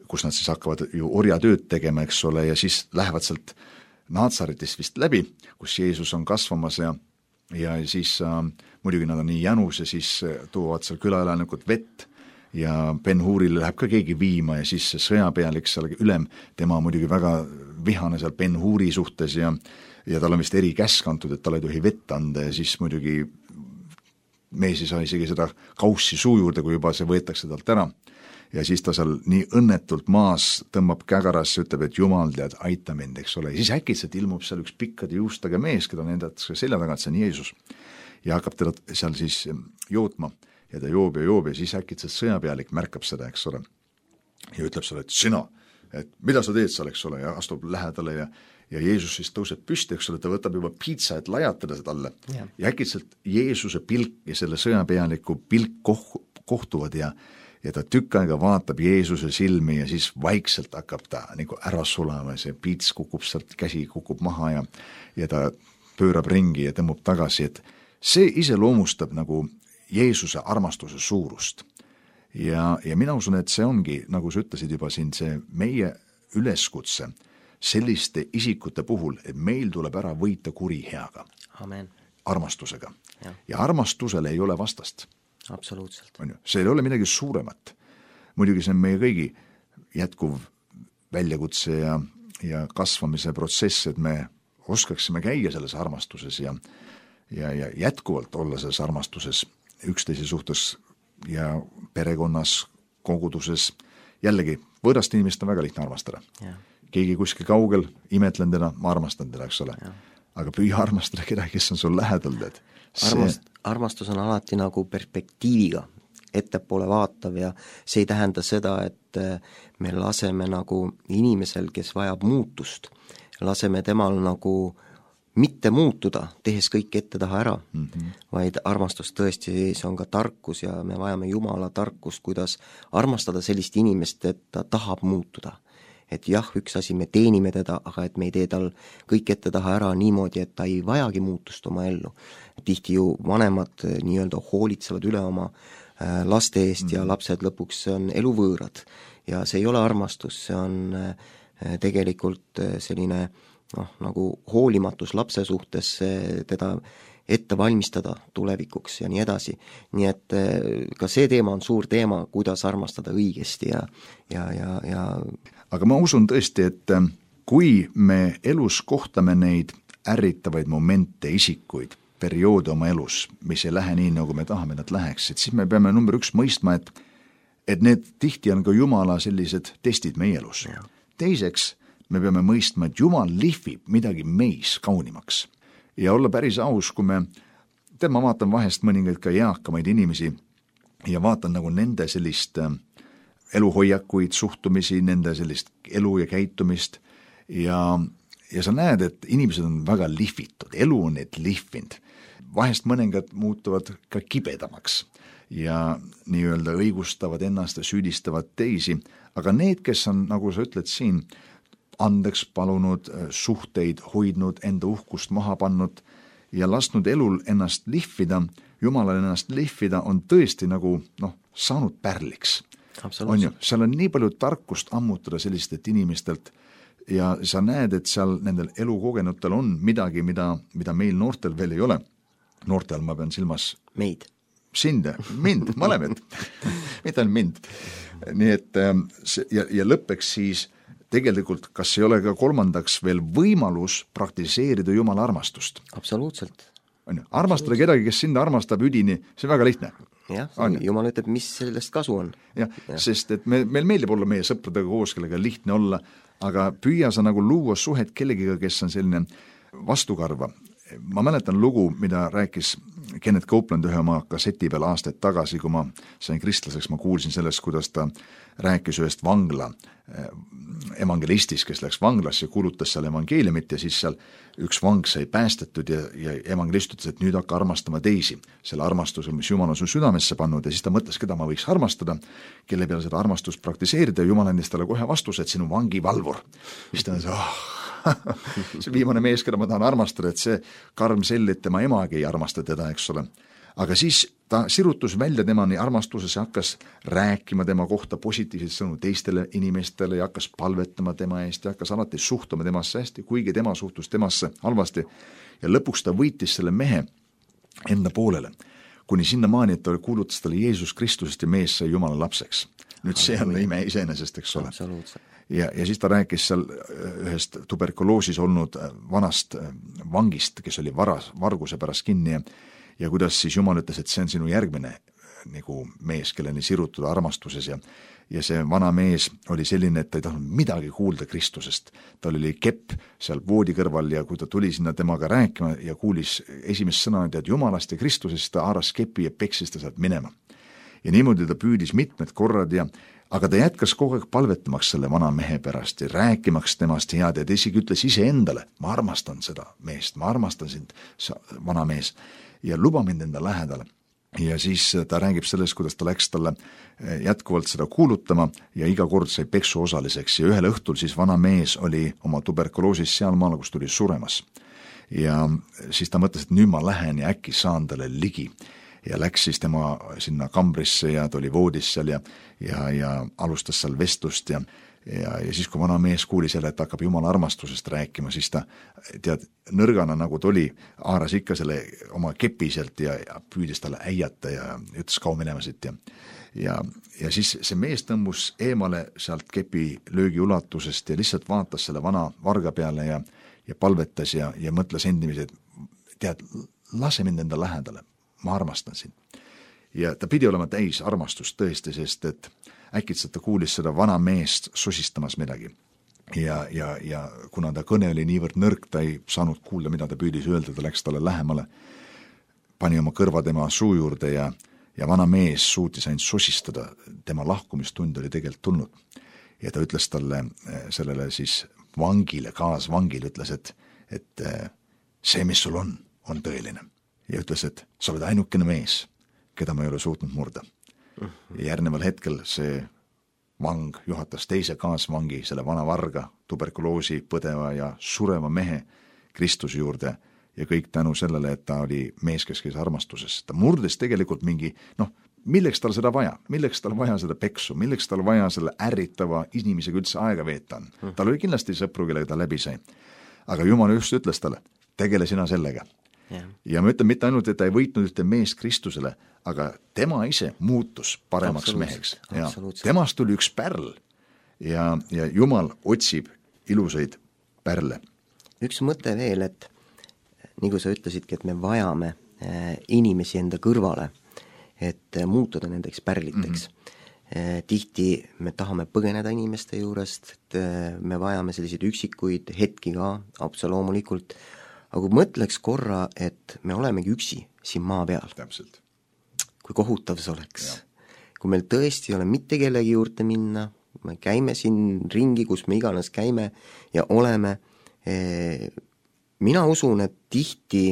kus nad siis hakkavad ju orjatööd tegema, eks ole, ja siis lähevad sealt Naatsaretist vist läbi, kus Jeesus on kasvamas ja ja siis äh, muidugi nad on nii jänus ja siis toovad seal külaelanikud vett ja Ben-Hurile läheb ka keegi viima ja siis see sõjapealik seal ülem, tema muidugi väga vihane seal Ben-Huri suhtes ja, ja tal on vist eri käsk antud, et tal ei tohi vett anda ja siis muidugi mees ei saa isegi seda kaussi suu juurde, kui juba see võetakse talt ära. Ja siis ta seal nii õnnetult maas tõmbab kägarasse, ütleb, et Jumal tead, aita mind, eks ole. Ja siis äkitselt ilmub seal üks pikkade juustega mees, keda nendatakse selja taga, et see on Jeesus. Ja hakkab teda seal siis jootma ja ta joob ja joob ja siis äkitselt sõjapealik märkab seda, eks ole. Ja ütleb sulle, et sina, et mida sa teed seal, eks ole, ja astub lähedale ja, ja Jeesus siis tõuseb püsti, eks ole, ta võtab juba piitsa, et lajatada seda talle ja, ja äkitselt Jeesuse pilk ja selle sõjapealiku pilk koh- kohtuvad ja ja ta tükk aega vaatab Jeesuse silmi ja siis vaikselt hakkab ta nagu ära sulama, see piits kukub sealt, käsi kukub maha ja ja ta pöörab ringi ja tõmbub tagasi, et see iseloomustab nagu Jeesuse armastuse suurust. Ja, ja mina usun, et see ongi, nagu sa ütlesid juba siin, see meie üleskutse selliste isikute puhul, et meil tuleb ära võita kuri heaga. Amen. Armastusega. Ja. ja armastusele ei ole vastast. Absoluutselt. On ju, see ei ole midagi suuremat. Muidugi see on meie kõigi jätkuv väljakutse ja, ja kasvamise protsess, et me oskaksime käia selles armastuses ja, ja, ja jätkuvalt olla selles armastuses üksteise suhtes ja perekonnas, koguduses. Jällegi, võõrast inimest on väga lihtne armastada. Ja. Keegi kuskil kaugel, imetlen teda, ma armastan teda, eks ole. Ja. Aga püüa armastada kedagi, kes on sul lähedal, tead. See... Armast, armastus on alati nagu perspektiiviga ettepoole vaatav ja see ei tähenda seda, et me laseme nagu inimesel, kes vajab muutust, laseme temal nagu mitte muutuda, tehes kõik ette taha ära, mm-hmm. vaid armastus tõesti, see on ka tarkus ja me vajame Jumala tarkust, kuidas armastada sellist inimest, et ta tahab muutuda. Et jah, üks asi, me teenime teda, aga et me ei tee tal kõik ette taha ära niimoodi, et ta ei vajagi muutust oma ellu. Tihti ju vanemad nii-öelda hoolitsevad üle oma laste eest mm-hmm. ja lapsed lõpuks on eluvõõrad. Ja see ei ole armastus, see on tegelikult selline noh, nagu hoolimatus lapse suhtes, teda ette valmistada tulevikuks ja nii edasi. Nii et ka see teema on suur teema, kuidas armastada õigesti ja, ja, ja, ja aga ma usun tõesti, et kui me elus kohtame neid ärritavaid momente, isikuid, perioode oma elus, mis ei lähe nii, nagu me tahame, nad läheksid, siis me peame number üks mõistma, et, et need tihti on ka Jumala sellised testid meie elus. Ja. Teiseks, me peame mõistma, et Jumal lihvib midagi meis kaunimaks. Ja olla päris aus, kui me, tead, ma vaatan vahest mõningaid ka eakamaid inimesi ja vaatan nagu nende sellist eluhoiakuid, suhtumisi, nende sellist elu ja käitumist ja, ja sa näed, et inimesed on väga lihvitud, elu on need lihvind. Vahest mõningad muutuvad ka kibedamaks ja nii-öelda õigustavad ennast ja süüdistavad teisi, aga need, kes on, nagu sa ütled siin, andeks palunud, suhteid hoidnud, enda uhkust maha pannud ja lasknud elul ennast lihvida, Jumalal ennast lihvida, on tõesti nagu noh, saanud pärliks. On ju, seal on nii palju tarkust ammutada sellistelt inimestelt ja sa näed, et seal nendel elukogenutel on midagi, mida, mida meil noortel veel ei ole. Noortel ma pean silmas meid. Sind, mind, mõlemad. Mitte on mind. Nii et ja, ja lõppeks siis tegelikult, kas ei ole ka kolmandaks veel võimalus praktiseerida Jumala armastust? Absoluutselt. On ju, armastada kedagi, kes sind armastab üdini, see on väga lihtne. Jah, Jumal ütleb, mis sellest kasu on. Jah, ja. Sest et me, meil meeldib olla meie sõpradega koos, kellega lihtne olla, aga püüa sa nagu luua suhet kellegiga, kes on selline vastukarva. Ma mäletan lugu, mida rääkis Kenneth Copeland ühe oma kasseti peal aastaid tagasi, kui ma sain kristlaseks, ma kuulsin sellest, kuidas ta rääkis ühest vangla evangelistis, kes läks vanglasse ja kuulutas seal evangeeliumit ja siis seal üks vang sai päästetud ja, ja evangelist ütles, et nüüd hakka armastama teisi, selle armastuse, mis Jumal on su südamesse pannud ja siis ta mõtles, keda ma võiks armastada, kelle peale seda armastust praktiseerida ja Jumal andis talle kohe vastuse, et sinu vangivalvur. Mis ta on see, oh, see viimane mees, keda ma tahan armastada, et see karm sell, et tema emagi ei armasta teda, eks ole. Aga siis ta sirutus välja temani armastuses ja hakkas rääkima tema kohta positiivseid sõnu teistele inimestele ja hakkas palvetama tema eest ja hakkas alati suhtuma temasse hästi, kuigi tema suhtus temasse halvasti. Ja lõpuks ta võitis selle mehe enda poolele, kuni sinna maani, et ta kuulutas talle Jeesus Kristusest ja mees sai Jumala lapseks. Nüüd see on ime iseenesest, eks ole. Ja, ja siis ta rääkis seal ühest tuberkuloosis olnud vanast vangist, kes oli varas, varguse pärast kinni ja ja kuidas siis Jumal ütles, et see on sinu järgmine nagu mees, kelleni sirutud armastuses ja, ja see vana mees oli selline, et ta ei tahtnud midagi kuulda Kristusest. Tal oli kepp seal voodi kõrval ja kui ta tuli sinna temaga rääkima ja kuulis esimest sõna, et Jumalast ja Kristusest, ta haaras kepi ja peksis ta sealt minema. Ja niimoodi ta püüdis mitmed korrad ja aga ta jätkas kogu aeg palvetamaks selle vana mehe pärast ja rääkimaks temast head ja ta isegi ütles ise endale, ma armastan seda meest, ma armastan sind, vana mees, ja luba mind enda lähedale. Ja siis ta räägib sellest, kuidas ta läks talle jätkuvalt seda kuulutama ja iga kord sai peksu osaliseks ja ühel õhtul siis vana mees oli oma tuberkuloosis seal maal, kus tuli suremas. Ja siis ta mõtles, et nüüd ma lähen ja äkki saan talle ligi. Ja läks siis tema sinna kambrisse ja ta oli voodis seal ja, ja, ja alustas seal vestlust ja, ja, ja siis, kui vana mees kuulis jälle, et hakkab Jumala armastusest rääkima, siis ta, tead, nõrgana nagu ta oli, haaras ikka selle oma kepi sealt ja, ja püüdis talle äiata ja ütles kaua minema siit ja, ja, ja siis see mees tõmbus eemale sealt kepi löögi ulatusest ja lihtsalt vaatas selle vana varga peale ja, ja palvetas ja, ja mõtles endimisi, et tead, lase mind enda lähedale. Ma armastan sind. Ja ta pidi olema täis armastust tõesti, sest et äkitselt ta kuulis seda vana meest sosistamas midagi. Ja, ja, ja kuna ta kõne oli niivõrd nõrk, ta ei saanud kuulda, mida ta püüdis öelda, ta läks talle lähemale, pani oma kõrva tema suu juurde ja, ja vana mees suutis ainult sosistada, tema lahkumistund oli tegelikult tulnud. Ja ta ütles talle, sellele siis vangile, kaasvangile ütles, et, et see, mis sul on, on tõeline. Ja ütles, et sa oled ainukene mees, keda ma ei ole suutnud murda. Ja järgneval hetkel see vang juhatas teise kaasvangi, selle vana varga, tuberkuloosi põdeva ja sureva mehe Kristuse juurde ja kõik tänu sellele, et ta oli mees, kes käis armastuses. Ta murdes tegelikult mingi, noh, milleks tal seda vaja, milleks tal vaja seda peksu, milleks tal vaja selle ärritava inimesega üldse aega veeta on. Tal oli kindlasti sõpru, kellega ta läbi sai. Aga Jumal just ütles talle, tegele sina sellega. Ja. ja ma ütlen mitte ainult, et ta ei võitnud ühte meest Kristusele, aga tema ise muutus paremaks meheks. Ja temast tuli üks pärl ja, ja Jumal otsib ilusaid pärle. Üks mõte veel, et nagu sa ütlesidki, et me vajame inimesi enda kõrvale, et muutuda nendeks pärliteks. Mm-hmm. Tihti me tahame põgeneda inimeste juurest, et me vajame selliseid üksikuid hetki ka, absoloomulikult, aga kui mõtleks korra, et me olemegi üksi siin maa peal. Täpselt. Kui kohutav see oleks. Ja. Kui meil tõesti ei ole mitte kellegi juurde minna, me käime siin ringi, kus me iganes käime ja oleme. Mina usun, et tihti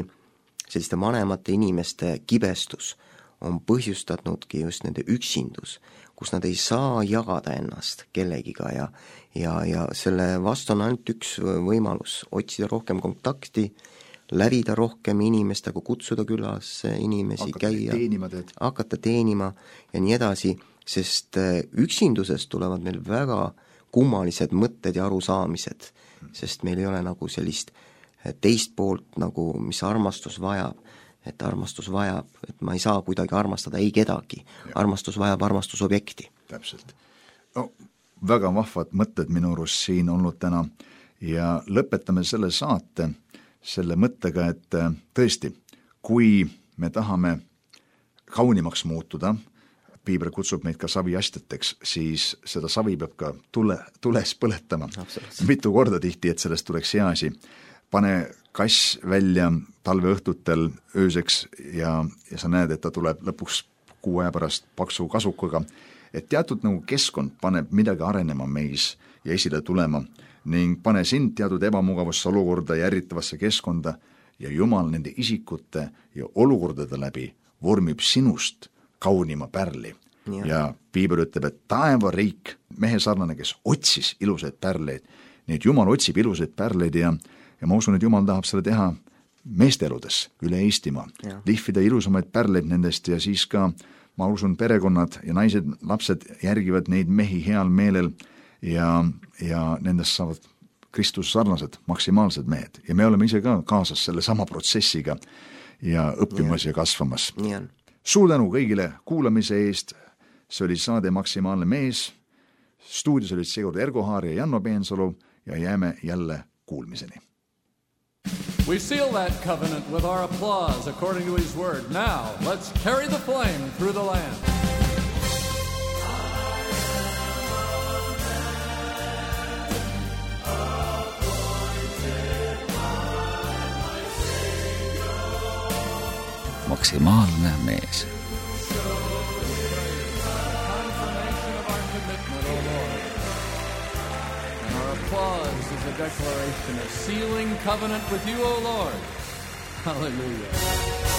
selliste vanemate inimeste kibestus on põhjustatnudki just nende üksindus, kus nad ei saa jagada ennast kellegiga ja, ja, ja selle vastu on ainult üks võimalus, otsida rohkem kontakti, lävida rohkem inimestega, kutsuda külas inimesi, hakata käia, teenima, hakata teenima ja nii edasi, sest üksindusest tulevad meil väga kummalised mõtted ja arusaamised, sest meil ei ole nagu sellist teist poolt, nagu mis armastus vajab, et armastus vajab, et ma ei saa kuidagi armastada ei kedagi. Ja. Armastus vajab armastusobjekti. Täpselt. No, väga vahvad mõtted minu arust siin olnud täna ja lõpetame selle saate selle mõttega, et tõesti, kui me tahame kaunimaks muutuda, Piibel kutsub meid ka saviastjateks, siis seda savi peab ka tule, tules põletama. Mitu korda tihti, et sellest tuleks hea asi. Pane kass välja talveõhtutel ööseks ja, ja sa näed, et ta tuleb lõpuks kuu aja pärast paksu kasukaga, et teatud nagu keskkond paneb midagi arenema meis ja esile tulema ning pane sind teatud ebamugavasse olukorda ja ärritavasse keskkonda ja Jumal nende isikute ja olukordade läbi vormib sinust kaunima pärli. Ja, ja Piibel ütleb, et taeva riik, mehe sarnane, kes otsis ilusaid pärleid, nii et Jumal otsib ilusaid pärleid ja Ja ma usun, et Jumal tahab selle teha meeste eludes üle Eestimaa, ja. Lihvida ilusamaid pärleid nendest ja siis ka, ma usun, perekonnad ja naised, lapsed järgivad neid mehi heal meelel ja, ja nendest saavad Kristus sarnased, maksimaalsed mehed. Ja me oleme ise ka kaasas selle sama protsessiga ja õppimas ja, ja kasvamas. Suur tänu kõigile kuulamise eest, see oli saade Maksimaalne mees, stuudios olid seekord Ergo Haar ja Janno Peensalu ja jääme jälle kuulmiseni. We seal that covenant with our applause according to his word. Now, let's carry the flame through the land. Maksimaalne mees. Confirmation of our commitment O Lord. And our applause is a declaration, a sealing covenant with you, O Lord. Hallelujah.